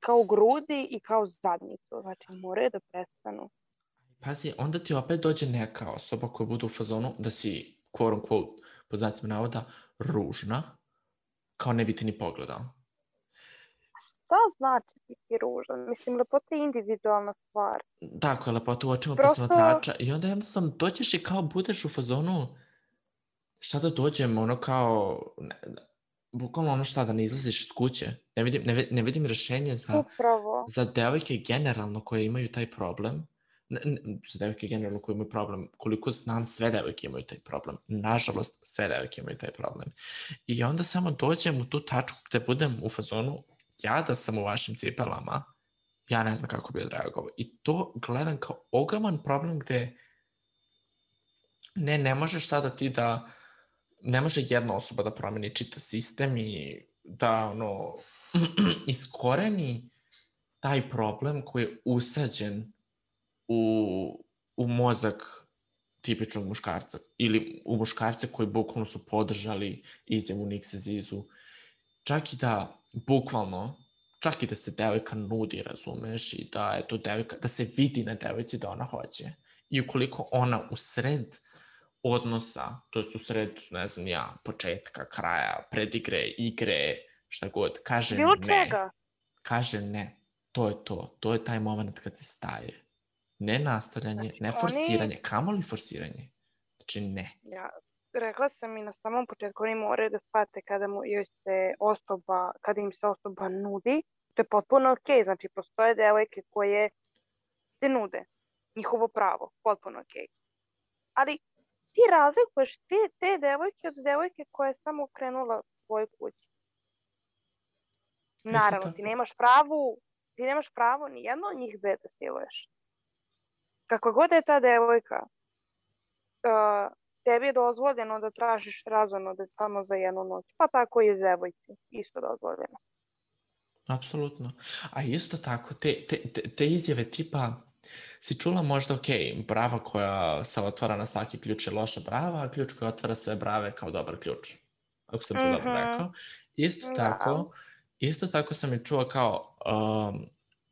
kao grudi i kao zadnjicu. Znači, moraju da prestanu. Pazi, onda ti opet dođe neka osoba koja bude u fazonu da si, quote unquote, po znacima navoda, ružna, kao ne bi te ni pogledao. Šta znači biti ružan? Mislim, lepota je individualna stvar. Tako je, lepota u očima posmatrača. I onda jednostavno dođeš i kao budeš u fazonu, šta da dođem, ono kao, bukvalno ono šta, da ne izlaziš iz kuće. Ne vidim rešenje za devojke generalno koje imaju taj problem. Za devojke generalno koje imaju problem. Koliko znam, sve devojke imaju taj problem. Nažalost, sve devojke imaju taj problem. I onda samo dođem u tu tačku gde budem u fazonu, ja da sam u vašim cipelama, ja ne znam kako bi odreagovao. I to gledam kao ogroman problem gde ne možeš sada ti da, ne može jedna osoba da promeni čitav sistem i da ono, iskoreni taj problem koji je usađen u mozak tipičnog muškarca ili u muškarce koji bukvalno su podržali izjavu Nikse Zizu. Čak i da bukvalno, čak i da se devojka nudi, razumeš, i da je to devojka, da se vidi na devojci da ona hoće. I ukoliko ona u sred odnosa, to jest u sred, ne znam ja, početka, kraja, predigre, igre, šta god, kaže bilo ne. Čega? Kaže ne. To je to. To je taj moment kad se staje. Ne nastavljanje, znači, ne forsiranje, kamoli forsiranje. Znači ne. Ja, rekla sam i na samom početku, oni moraju da shvate kada im se osoba nudi, to je potpuno okej. Znači, postoje devojke koje se nude. Njihovo pravo, potpuno okej. Ali ti razlikuješ te devojke od devojke koja je samo krenula svoj kući. Naravno, ti nemaš pravo ni jedno od njih dve da siluješ. Kako god je ta devojka, tebi je dozvoljeno da tražiš razonode samo za jednu noć. Pa tako i devojci, isto dozvoljeno. Apsolutno. A isto tako, te izjave tipa, si čula možda, brava koja se otvara na svaki ključ je loša brava, a ključ koji otvara sve brave kao dobar ključ. Ako sam to dobro rekao. Isto tako sam i čuo kao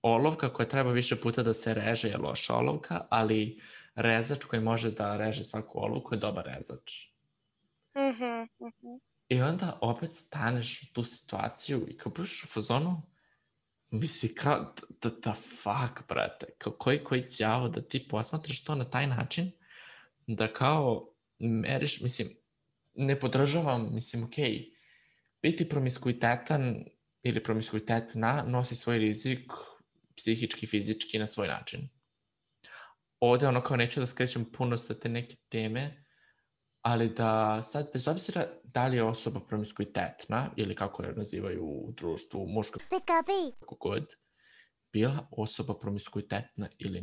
olovka koja treba više puta da se reže je loša olovka, ali rezač koji može da reže svaku olovku je dobar rezač. I onda opet staneš u tu situaciju i kao budeš u fazonu, misli kao, da fuck, brate, koji đavo da ti posmatraš to na taj način, da kao meriš, mislim, ne podržavam, mislim, okej, biti promiskuitetan ili promiskuitetna nosi svoj rizik psihički, fizički na svoj način. Ovde ono kao neću da skrećem puno sa te neke teme, ali da sad, bez obzira da li je osoba promiskuitetna ili kako je nazivaju u društvu, muška, kako god, bila osoba promiskuitetna ili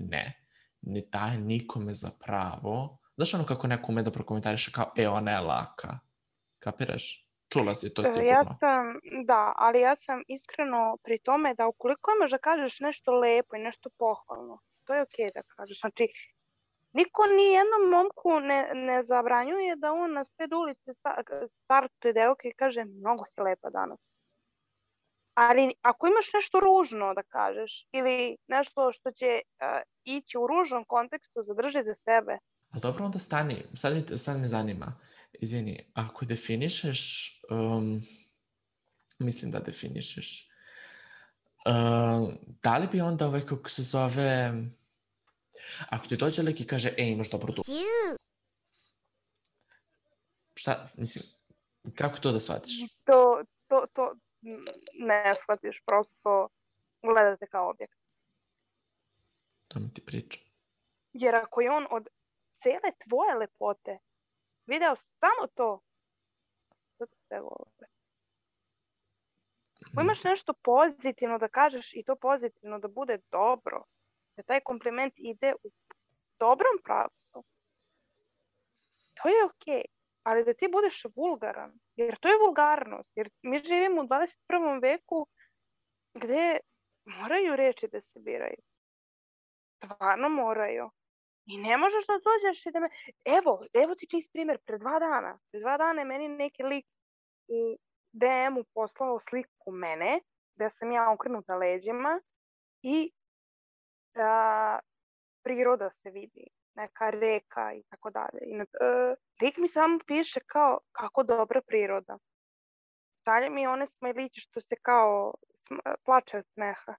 ne daje nikome za pravo. Znaš ono kako neko ume da prokomentariše kao, ona je laka. Kapiraš? Čula si to sigurno. Ali ja sam iskreno pri tome da ukoliko imaš da kažeš nešto lepo i nešto pohvalno, to je okej da kažeš. Znači, niko ni jednom momku ne zabranjuje da on na sred ulice startuje devojke i kaže mnogo si lepa danas. Ali ako imaš nešto ružno da kažeš ili nešto što će ići u ružnom kontekstu, zadrži za sebe. Ali dobro, onda stani. Sad me zanima. Izvini, ako definišeš, mislim da definišeš, da li bi onda kako se zove, ako ti dođe lik i kaže, imaš dobro dušu. Šta, mislim, Kako to da shvatiš? To ne shvatiš, prosto gledate kao objekt. To mi ti priča. Jer ako je on od cele tvoje lepote video samo to te vole. Ako imaš nešto pozitivno da kažeš i to pozitivno da bude dobro, da taj kompliment ide u dobrom pravcu, to je okej. Ali da ti budeš vulgaran, jer to je vulgarnost, jer mi živimo u 21. veku gde moraju reči da se biraju. Stvarno moraju. I ne možeš da dođeš i da me... Evo ti čist primjer, pre 2 dana. Pre 2 dana je meni neki lik u DM-u poslao sliku mene, gde sam ja okrenuta leđima i priroda se vidi, neka reka i tako dalje. Lik mi samo piše kao kako dobra priroda. Šalje mi one smajliće što se kao plače od smeha.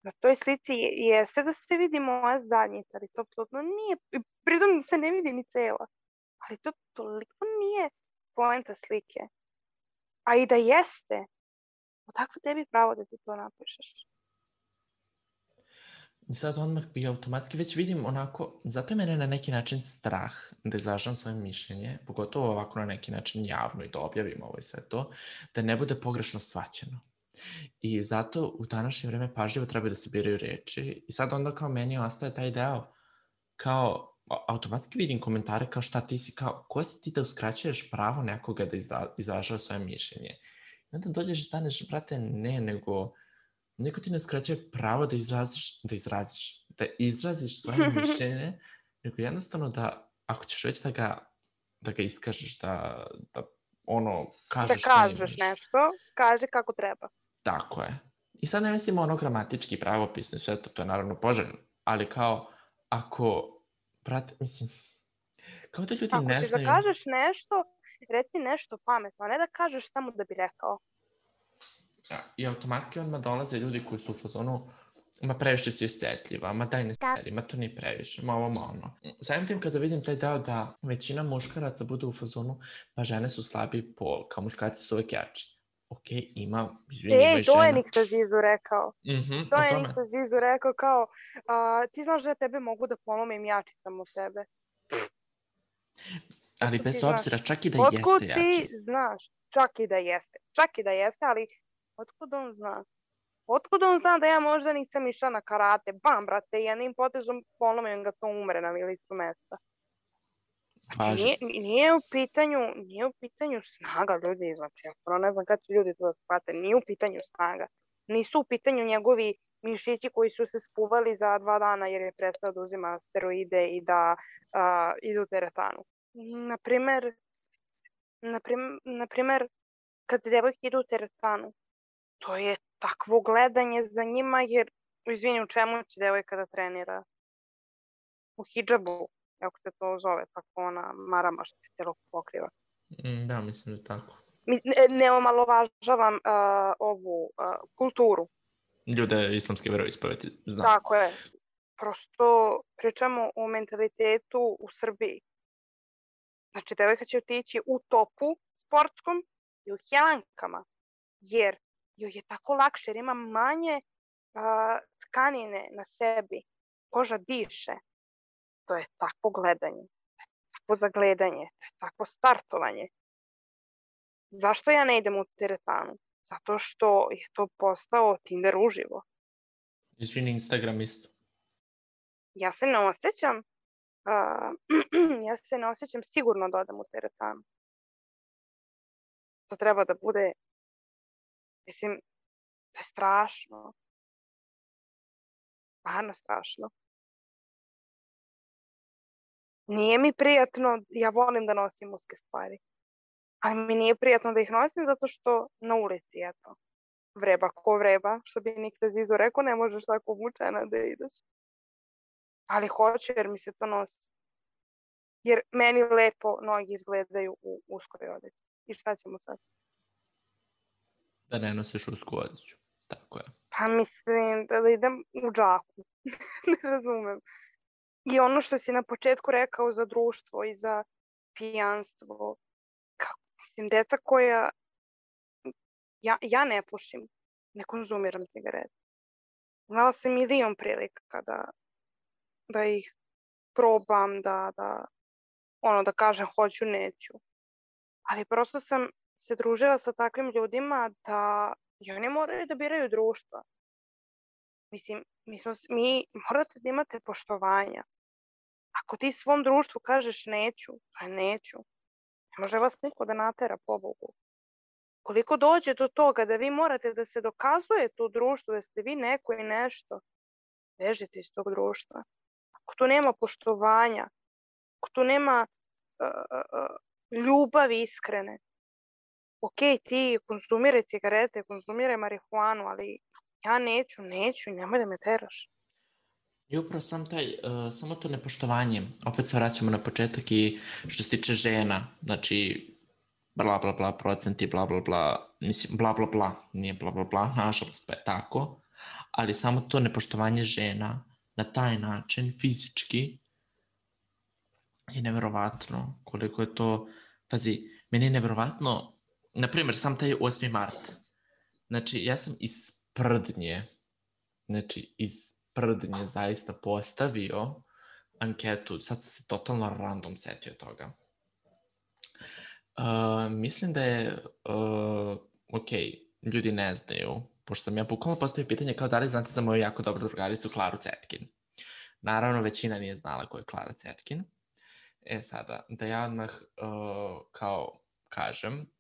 Na toj slici jeste da se vidi moja zadnjica, ali to apsolutno nije, pritom se ne vidi ni cela. Ali to toliko nije poenta slike. A i da jeste, odakle tebi pravo da ti to napišeš? I sad odmah bi automatski već vidim onako, zato je mene na neki način strah da izražam svoje mišljenje, pogotovo ovako na neki način javno i da objavim ovo i sve to, da ne bude pogrešno shvaćeno. I zato u današnje vreme pažljivo treba da se biraju reči i sad onda kao meni ostaje taj deo kao automatski vidim komentare kao šta ti si, kao ko si ti da uskraćuješ pravo nekoga da izražava svoje mišljenje. I onda dođeš i staneš, brate, ne, nego neko ti ne uskraćuje pravo da izraziš svoje mišljenje, nego jednostavno da, ako ćeš već da ga iskažeš, da ono, kažeš šta imaš. Da kažeš nešto, kaži kako treba. Tako je. I sad ne mislim ono gramatički, pravopisno i sve to, to je naravno poželjno, ali kao, ako, brate, mislim, kao da ljudi ne znaju... Ako ćeš da kažeš nešto, reci nešto pametno, a ne da kažeš samo da bi rekao. I automatski odmah dolaze ljudi koji su u fazonu, ma previše si osjetljiva, ma daj ne seri, ma to nije previše, ma ovo, ma ono. Samim tim kada vidim taj deo da većina muškaraca bude u fazonu, pa žene su slabiji pol, kao muškarci su uvek jači. Ok, ima žena. To je Niksa Zizu rekao. To je Niksa Zizu rekao kao, ti znaš da ja tebe mogu da polomim, jači sam od tebe. Ali bez obzira, čak i da jeste jači. Otkud ti znaš? Čak i da jeste, ali otkud on zna? Otkud on zna da ja možda nisam išla na karate? Bam, brate, jednim potezom polomim ga, to umre na licu mesta. Znači, nije u pitanju snaga ljudi, znači, ja stvarno ne znam kada će ljudi to da shvate, nije u pitanju snaga. Nisu u pitanju njegovi mišići koji su se spuvali za 2 dana jer je prestao da uzima steroide i da ide u teretanu. Naprimer, kad devojke idu u teretanu, to je takvo gledanje za njima jer, izvini, u čemu će devojka da trenira? U hidžabu, ako se to zove, tako ona marama što se telo pokriva. Da, mislim da tako. Ne omalovažavam ovu kulturu. Ljude islamske veroispovesti, znam. Tako je. Prosto pričamo o mentalitetu u Srbiji. Znači, devojka će otići u topu sportskom i u helankama, jer joj je tako lakše, jer ima manje tkanine na sebi. Koža diše. To je takvo gledanje, takvo zagledanje, takvo startovanje. Zašto ja ne idem u teretanu? Zato što je to postao Tinder uživo. Izvini, Instagram isto. Ja se ne osjećam sigurno da odem u teretanu. To treba da bude, mislim, to je strašno. Stvarno strašno. Nije mi prijatno, ja volim da nosim muške stvari, ali mi nije prijatno da ih nosim zato što na ulici, eto, vreba ko vreba, što bi Niksa Zizu rekao, ne možeš tako obučena da ideš. Ali hoću jer mi se to nosi. Jer meni lepo noge izgledaju u uskoj odeći. I šta ćemo sad? Da ne nosiš usku odeću, tako je. Pa mislim da idem u džaku, ne razumem. I ono što si na početku rekao za društvo i za pijanstvo, kao mislim, deca koja... Ja ne pušim, ne konzumiram cigarete. Imala sam milion prilika da ih probam, da kažem hoću, neću. Ali prosto sam se družila sa takvim ljudima da i oni moraju da biraju društva. Mislim, morate da imate poštovanja. Ako ti svom društvu kažeš neću, pa neću. Ne može vas niko da natera, pobogu. Koliko dođe do toga da vi morate da se dokazujete u društvu, da ste vi neko i nešto, bežite iz tog društva. Ako tu nema poštovanja, ako tu nema ljubavi iskrene, ok, ti konzumiraj cigarete, konzumiraj marihuanu, ali ja neću, nemoj da me teraš. I upravo samo to nepoštovanje, opet se vraćamo na početak i što se tiče žena, znači bla bla bla procenti, bla bla bla, mislim bla bla bla, nije bla bla bla, nažalost pa je tako, ali samo to nepoštovanje žena na taj način, fizički, je neverovatno koliko je to, pazi, meni je neverovatno, na primjer, sam taj 8. mart, znači ja sam iz Prdnje zaista postavio anketu, sad sam se totalno random setio toga. Mislim da je, ok, ljudi ne znaju, pošto sam ja bukvalno postavio pitanje kao da li znate za moju jako dobru drugaricu Klaru Cetkin. Naravno, većina nije znala ko je Klara Cetkin. Sada, da ja odmah kao kažem,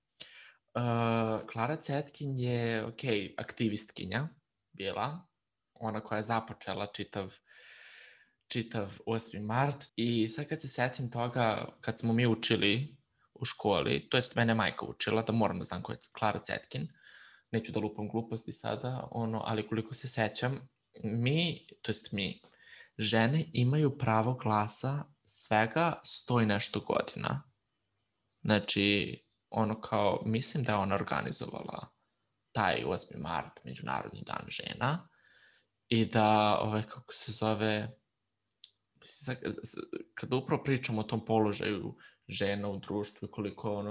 Klara Cetkin je, ok, aktivistkinja bila, ona koja je započela čitav 8. mart i sad kad se setim toga, kad smo mi učili u školi, to jest mene majka učila, da moram da znam ko je Klara Cetkin, neću da lupam gluposti sada, ali koliko se sećam, mi, žene imaju pravo glasa svega 100 i nešto godina. Znači, mislim da je ona organizovala taj 8. mart, Međunarodni dan žena, i da, kako se zove, kada upravo pričamo o tom položaju žena u društvu i koliko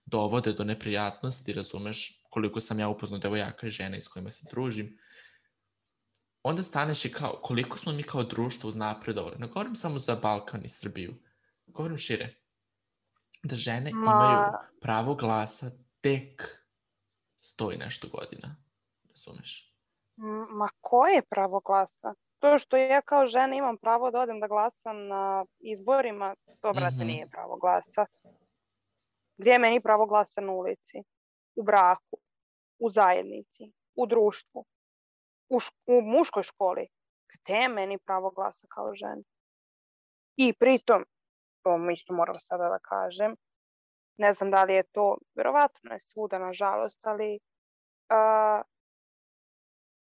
dovode do neprijatnosti, razumeš, koliko sam ja upoznao devojaka i žena s kojima se družim, onda staneš i kao, koliko smo mi kao društvo uznapredovali. Ne govorim samo za Balkan i Srbiju, govorim šire. Da žene imaju pravo glasa tek 100 i nešto godina, razumeš? Ma koje pravo glasa? To što ja kao žena imam pravo da odem da glasam na izborima, to, brate, nije pravo glasa. Gdje je meni pravo glasa na ulici? U braku, u zajednici, u društvu, u muškoj školi. Gdje je meni pravo glasa kao žena? I pritom, to isto moram sada da kažem, ne znam da li je to, vjerovatno je svuda, nažalost, ali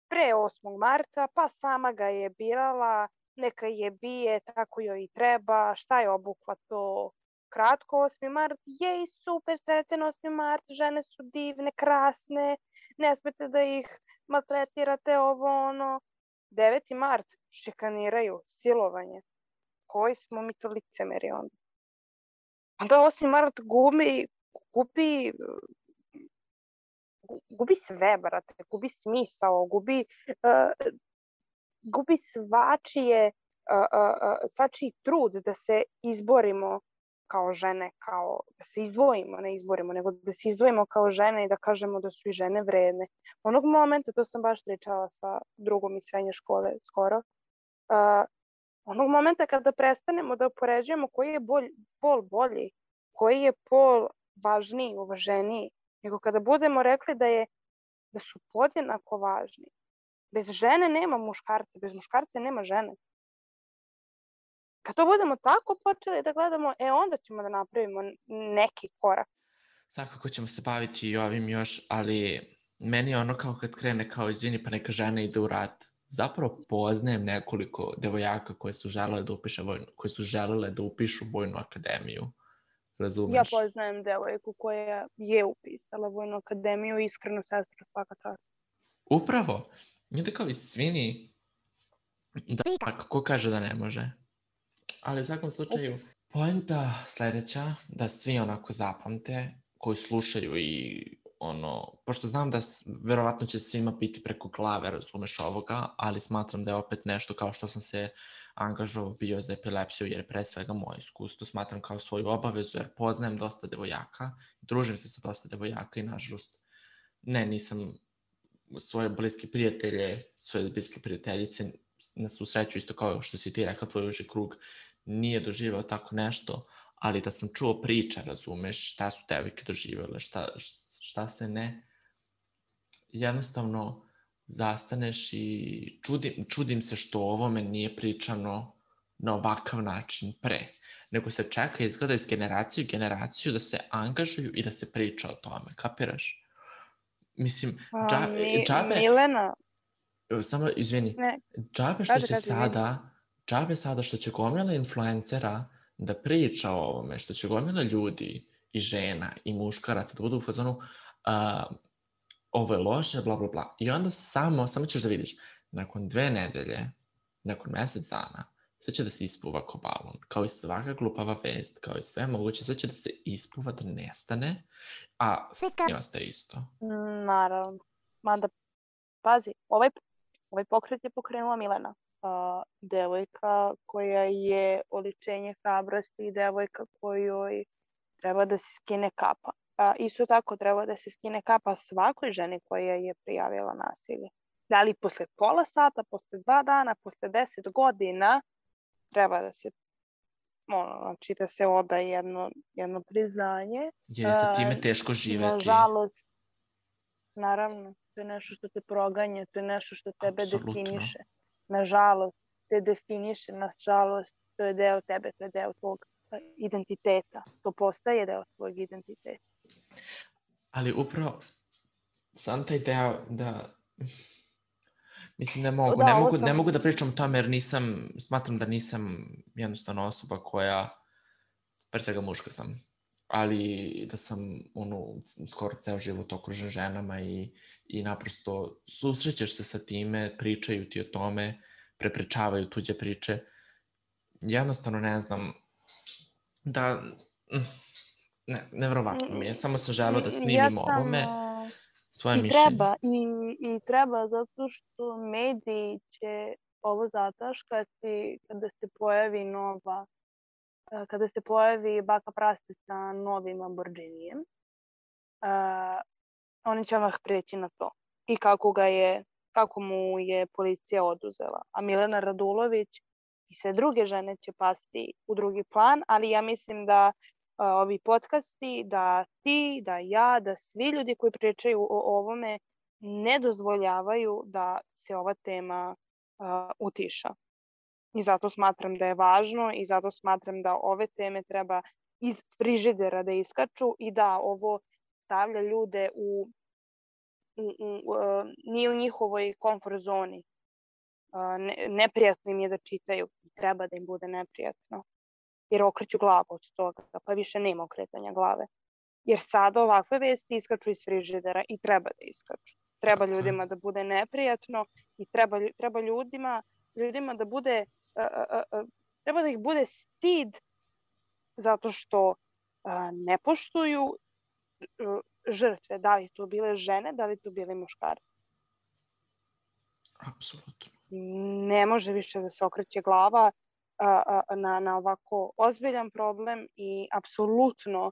pre 8. marta, pa sama ga je birala, neka je bije, tako joj i treba, šta je obukla to kratko 8. mart, jej, super, srećan 8. mart, žene su divne, krasne, ne smete da ih maltretirate, 9. mart, šikaniraju, silovanje. Koji smo mi to licemeri onda? Onda 8. mart gubi sve, brate, gubi smisao, gubi svačiji trud da se izborimo kao žene, da se izdvojimo, ne izborimo, nego da se izdvojimo kao žene i da kažemo da su i žene vredne. Onog momenta, to sam baš pričala sa drugom iz srednje škole skoro, onog momenta kada prestanemo da upoređujemo koji je pol bolji, koji je pol važniji, uvaženiji, nego kada budemo rekli da su podjednako važni. Bez žene nema muškarca, bez muškarca nema žene. Kad to budemo tako počeli da gledamo, onda ćemo da napravimo neki korak. Svakako ćemo se baviti i ovim još, ali meni je kao kad krene kao izvini pa neka žena ide u rat. Zapravo poznajem nekoliko devojaka koje su želele da upišu vojnu akademiju. Razumeš? Ja poznajem devojku koja je upisala vojnu akademiju, iskreno, sestra, svaka čast. Upravo. I da kao izvini, da ko kaže da ne može. Ali u svakom slučaju, poenta sljedeća, da svi onako zapamte, koji slušaju i pošto znam da verovatno će svima biti preko glave, razumeš ovoga, ali smatram da je opet nešto kao što sam se angažovao bio za epilepsiju, jer pre svega moje iskustvo smatram kao svoju obavezu, jer poznajem dosta devojaka, družim se sa dosta devojaka i nažalost nisam svoje bliske prijatelje, svoje bliske prijateljice, na svu sreću isto kao što si ti rekao, tvoj uži krug nije doživao tako nešto, ali da sam čuo priče, razumeš, šta su devojke doživjele, šta se ne, jednostavno zastaneš i čudim se što o ovome nije pričano na ovakav način pre, nego se čeka izgleda iz generacije u generaciju da se angažuju i da se priča o tome, kapiraš? Mislim, džabe... Milena... Samo, izvini, džabe sada što će gomila influencera da priča o ovome, što će gomila ljudi i žena i muškaraca da budu u fazonu ovo je loše, bla, bla, bla. I onda samo ćeš da vidiš, nakon 2 nedelje, nakon mesec dana, sve će da se ispuva ko balon, kao i svaka glupava vest, kao i sve moguće, sve će da se ispuva, da nestane, a sve ne ostaje isto. Naravno. Mada, pazi, ovaj pokret je pokrenula Milena. Devojka koja je oličenje hrabrosti i devojka kojoj treba da se skine kapa. Isto tako treba da se skine kapa svakoj ženi koja je prijavila nasilje. Da li posle pola sata, posle 2 dana, posle 10 godina treba da se znači da se oda jedno priznanje. Jer je sa time teško živeti. Nažalost, naravno, to je nešto što te proganja, to je nešto što tebe definiše. Nažalost, te definiše, nažalost, to je deo tebe, to je deo tvog identiteta. To postaje deo tvojeg identiteta. Ali upravo sam taj deo da... Mislim, ne mogu da pričam o tome jer smatram da nisam jednostavno osoba koja, pre svega muška sam, ali da sam skoro ceo život okružen ženama i naprosto susrećeš se sa time, pričaju ti o tome, prepričavaju tuđe priče. Jednostavno ne znam da... Nevjerovatno mi je, samo sam želeo da snimim ovome svoje mišljenje. I treba, zato što mediji će ovo zataškati kada se pojavi baka prasta sa novim Lamborghinijem. Oni će odmah preći na to. I kako mu je policija oduzela. A Milena Radulović i sve druge žene će pasti u drugi plan, ali ja mislim da ovi podcasti, da ti, da ja, da svi ljudi koji pričaju o ovome ne dozvoljavaju da se ova tema utiša. I zato smatram da je važno i zato smatram da ove teme treba iz frižidera da iskaču i da ovo stavlja ljude nije u njihovoj komfort zoni. Neprijatno im je da čitaju. Treba da im bude neprijatno. Jer okreću glavu od toga, pa više nema okretanja glave. Jer sada ovakve vesti iskaču iz frižidera i treba da iskaču. Treba ljudima da bude neprijatno i treba ljudima da bude, treba da ih bude stid zato što ne poštuju žrtve, da li to bile žene, da li to bili muškarci. Apsolutno. Ne može više da se okreće glava na ovako ozbiljan problem i apsolutno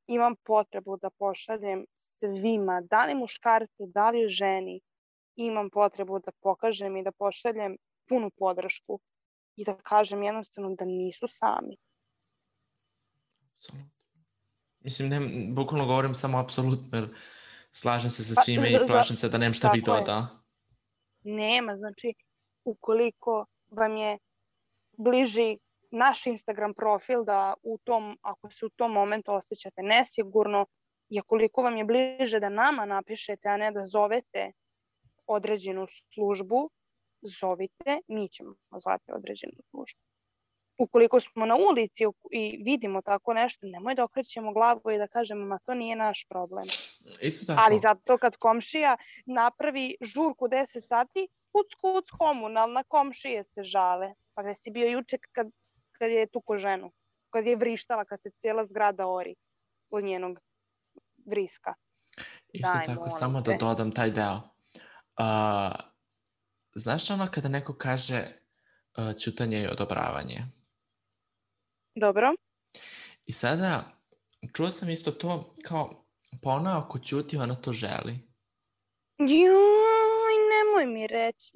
imam potrebu da pošaljem svima, da li muškarcu, da li ženi, imam potrebu da pokažem i da pošaljem punu podršku i da kažem jednostavno da nisu sami. Apsolutno. Mislim, bukvalno govorim samo apsolutno, jer slažem se sa svime i plašim se da nemam šta bih dodao. Nema, znači, ukoliko vam je bliži naš Instagram profil da ako se u tom momentu osjećate nesigurno i koliko vam je bliže da nama napišete, a ne da zovete određenu službu, zovite, mi ćemo zvati određenu službu. Ukoliko smo na ulici i vidimo tako nešto, nemoj da okrećemo glavu i da kažemo, ma to nije naš problem. Isto tako. Ali zato kad komšija napravi žurku 10 sati, kuc, komunalna, komšije se žale. Pa gde si bio juče kad je tuko ženu, kad je vrištala, kad se cijela zgrada ori od njenog vriska. Isto Daj, tako, molim samo da te. dodam taj deo. Znaš ono kada neko kaže ćutanje i odobravanje? Dobro. I sada, čuo sam isto to kao, pa ona ako ćuti, ona to želi. Joj, nemoj mi reći.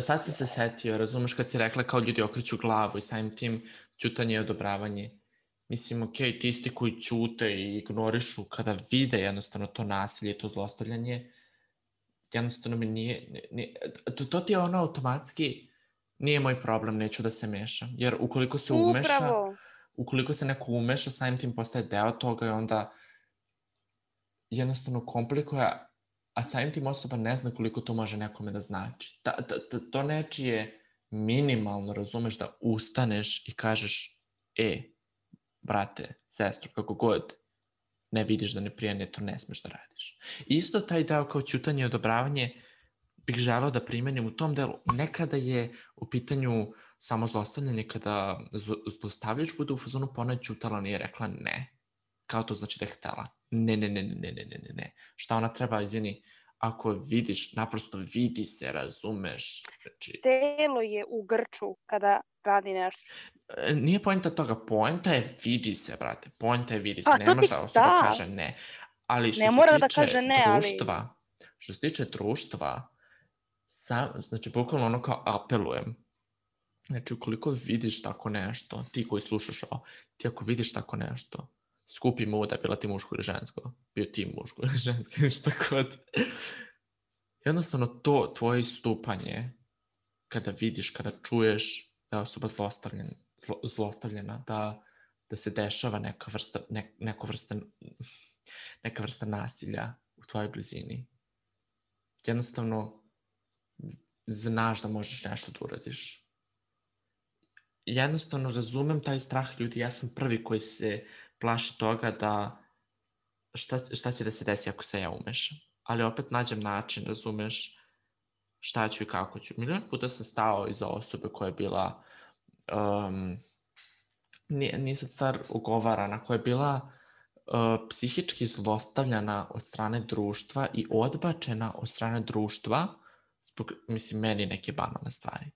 Sad sam se setio, razumeš, kad si rekla kao ljudi okreću glavu i samim tim ćutanje i odobravanje. Mislim, okej, ti isti koji ćute i ignorišu kada vide jednostavno to nasilje i to zlostavljanje, jednostavno mi nije to ti je ono automatski, nije moj problem, neću da se mešam. Jer ukoliko se neko umeša, samim tim postaje deo toga i onda jednostavno komplikuje, a samim tim osoba ne zna koliko to može nekome da znači. To nečije minimalno, razumeš, da ustaneš i kažeš, brate, sestro, kako god, ne vidiš da ne prija, to ne smeš da radiš. Isto taj deo kao ćutanje i odobravanje bih želeo da primenim u tom delu. Nekada je u pitanju samo zlostavljanje, kada zlostavljač bude u fazonu, pa ona je ćutala, nije rekla ne. Kao to znači da je htela. Ne. Šta ona treba, izvini, ako vidiš, naprosto vidi se, razumeš. Znači, telo je u grču kada radi nešto. Nije poenta toga, poenta je vidi se, brate. Poenta je vidi se, ne može da osoba kaže ne. Ali što se tiče društva, znači, bukvalno ono kao apelujem. Znači, ukoliko vidiš tako nešto, ti koji slušaš ovo, ti ako vidiš tako nešto, skupi muda, bila ti muško ili žensko, bio ti muško ili žensko, ili šta god. Jednostavno to tvoje istupanje, kada vidiš, kada čuješ da je osoba zlostavljena, da se dešava neka vrsta nasilja u tvojoj blizini. Jednostavno, znaš da možeš nešto da uradiš. Jednostavno razumem taj strah ljudi, ja sam prvi koji se plaši toga da šta će da se desi ako se ja umešam. Ali opet nađem način, razumeš, šta ću i kako ću. Milion puta sam stao iza osobe koja je bila, nije sad stvar ugovarana, koja je bila psihički zlostavljana od strane društva i odbačena od strane društva zbog, mislim, meni neke banalne stvari.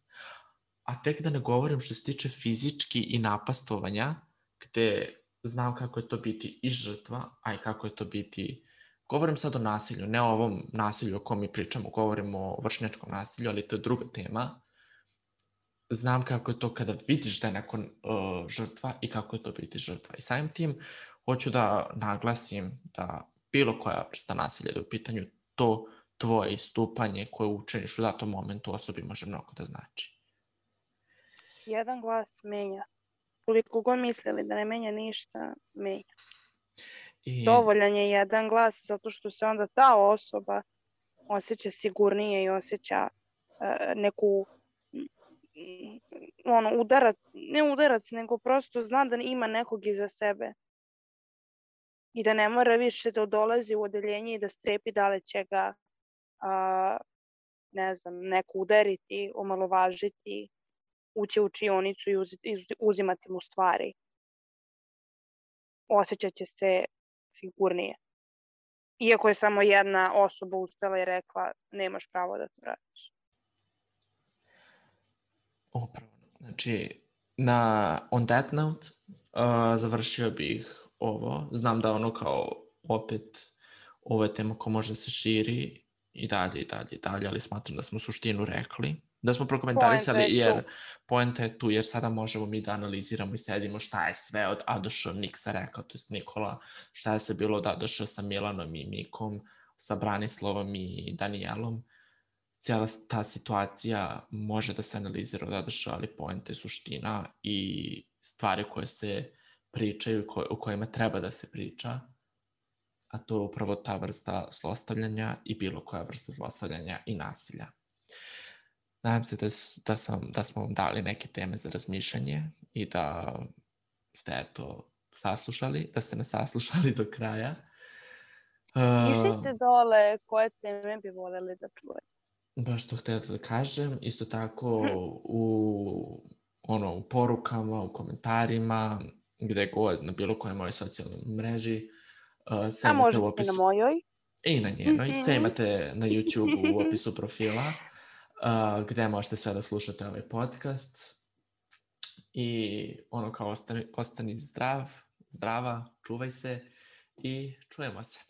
A tek da ne govorim što se tiče fizički i napastovanja, gde znam kako je to biti i žrtva, a i kako je to biti... Govorim sad o nasilju, ne o ovom nasilju o kom mi pričamo, govorim o vršnjačkom nasilju, ali to je druga tema. Znam kako je to kada vidiš da je neko žrtva i kako je to biti žrtva. I samim tim hoću da naglasim da bilo koja vrsta nasilja, da je u pitanju to tvoje istupanje koje učiniš u datom momentu osobi može mnogo da znači. Jedan glas menja. Koliko god mislili da ne menja ništa, menja. Dovoljan je jedan glas zato što se onda ta osoba osjeća sigurnije i osjeća neku udarac, nego prosto zna da ima nekog iza sebe i da ne mora više da dolazi u odeljenje i da strepi da li će ga neko udariti, omalovažiti, ući u učionicu i uzimati mu stvari. Osjećat će se sigurnije. Iako je samo jedna osoba ustala i rekla nemaš pravo da to radiš. Upravo. Znači, on that note, završio bih ovo. Znam da ono kao opet ovo je tema koja može da se širi i dalje, ali smatram da smo suštinu rekli. Da smo prokomentarisali, jer poenta je tu, jer sada možemo mi da analiziramo i sedimo šta je sve od A-Š Niksa rekao, to je Nikola, šta je se bilo od A-Š sa Milanom i Mikom, sa Branislavom i Danijelom. Cijela ta situacija može da se analizira od A-Š, ali poenta je suština i stvari koje se pričaju, o kojima treba da se priča, a to je upravo ta vrsta zlostavljanja i bilo koja vrsta zlostavljanja i nasilja. Nadam se da smo vam dali neke teme za razmišljanje i da ste saslušali, da ste nas saslušali do kraja. Pišite dole koje teme bi voljeli da čujete. Baš to htio da kažem, isto tako u porukama, u komentarima, gde god, na bilo kojoj mojoj socijalnoj mreži, A možete i na mojoj. I na njenoj. Sve imate na YouTube u opisu profila, gde možete sve da slušate ovaj podcast. I ono kao ostani zdrava, čuvaj se i čujemo se.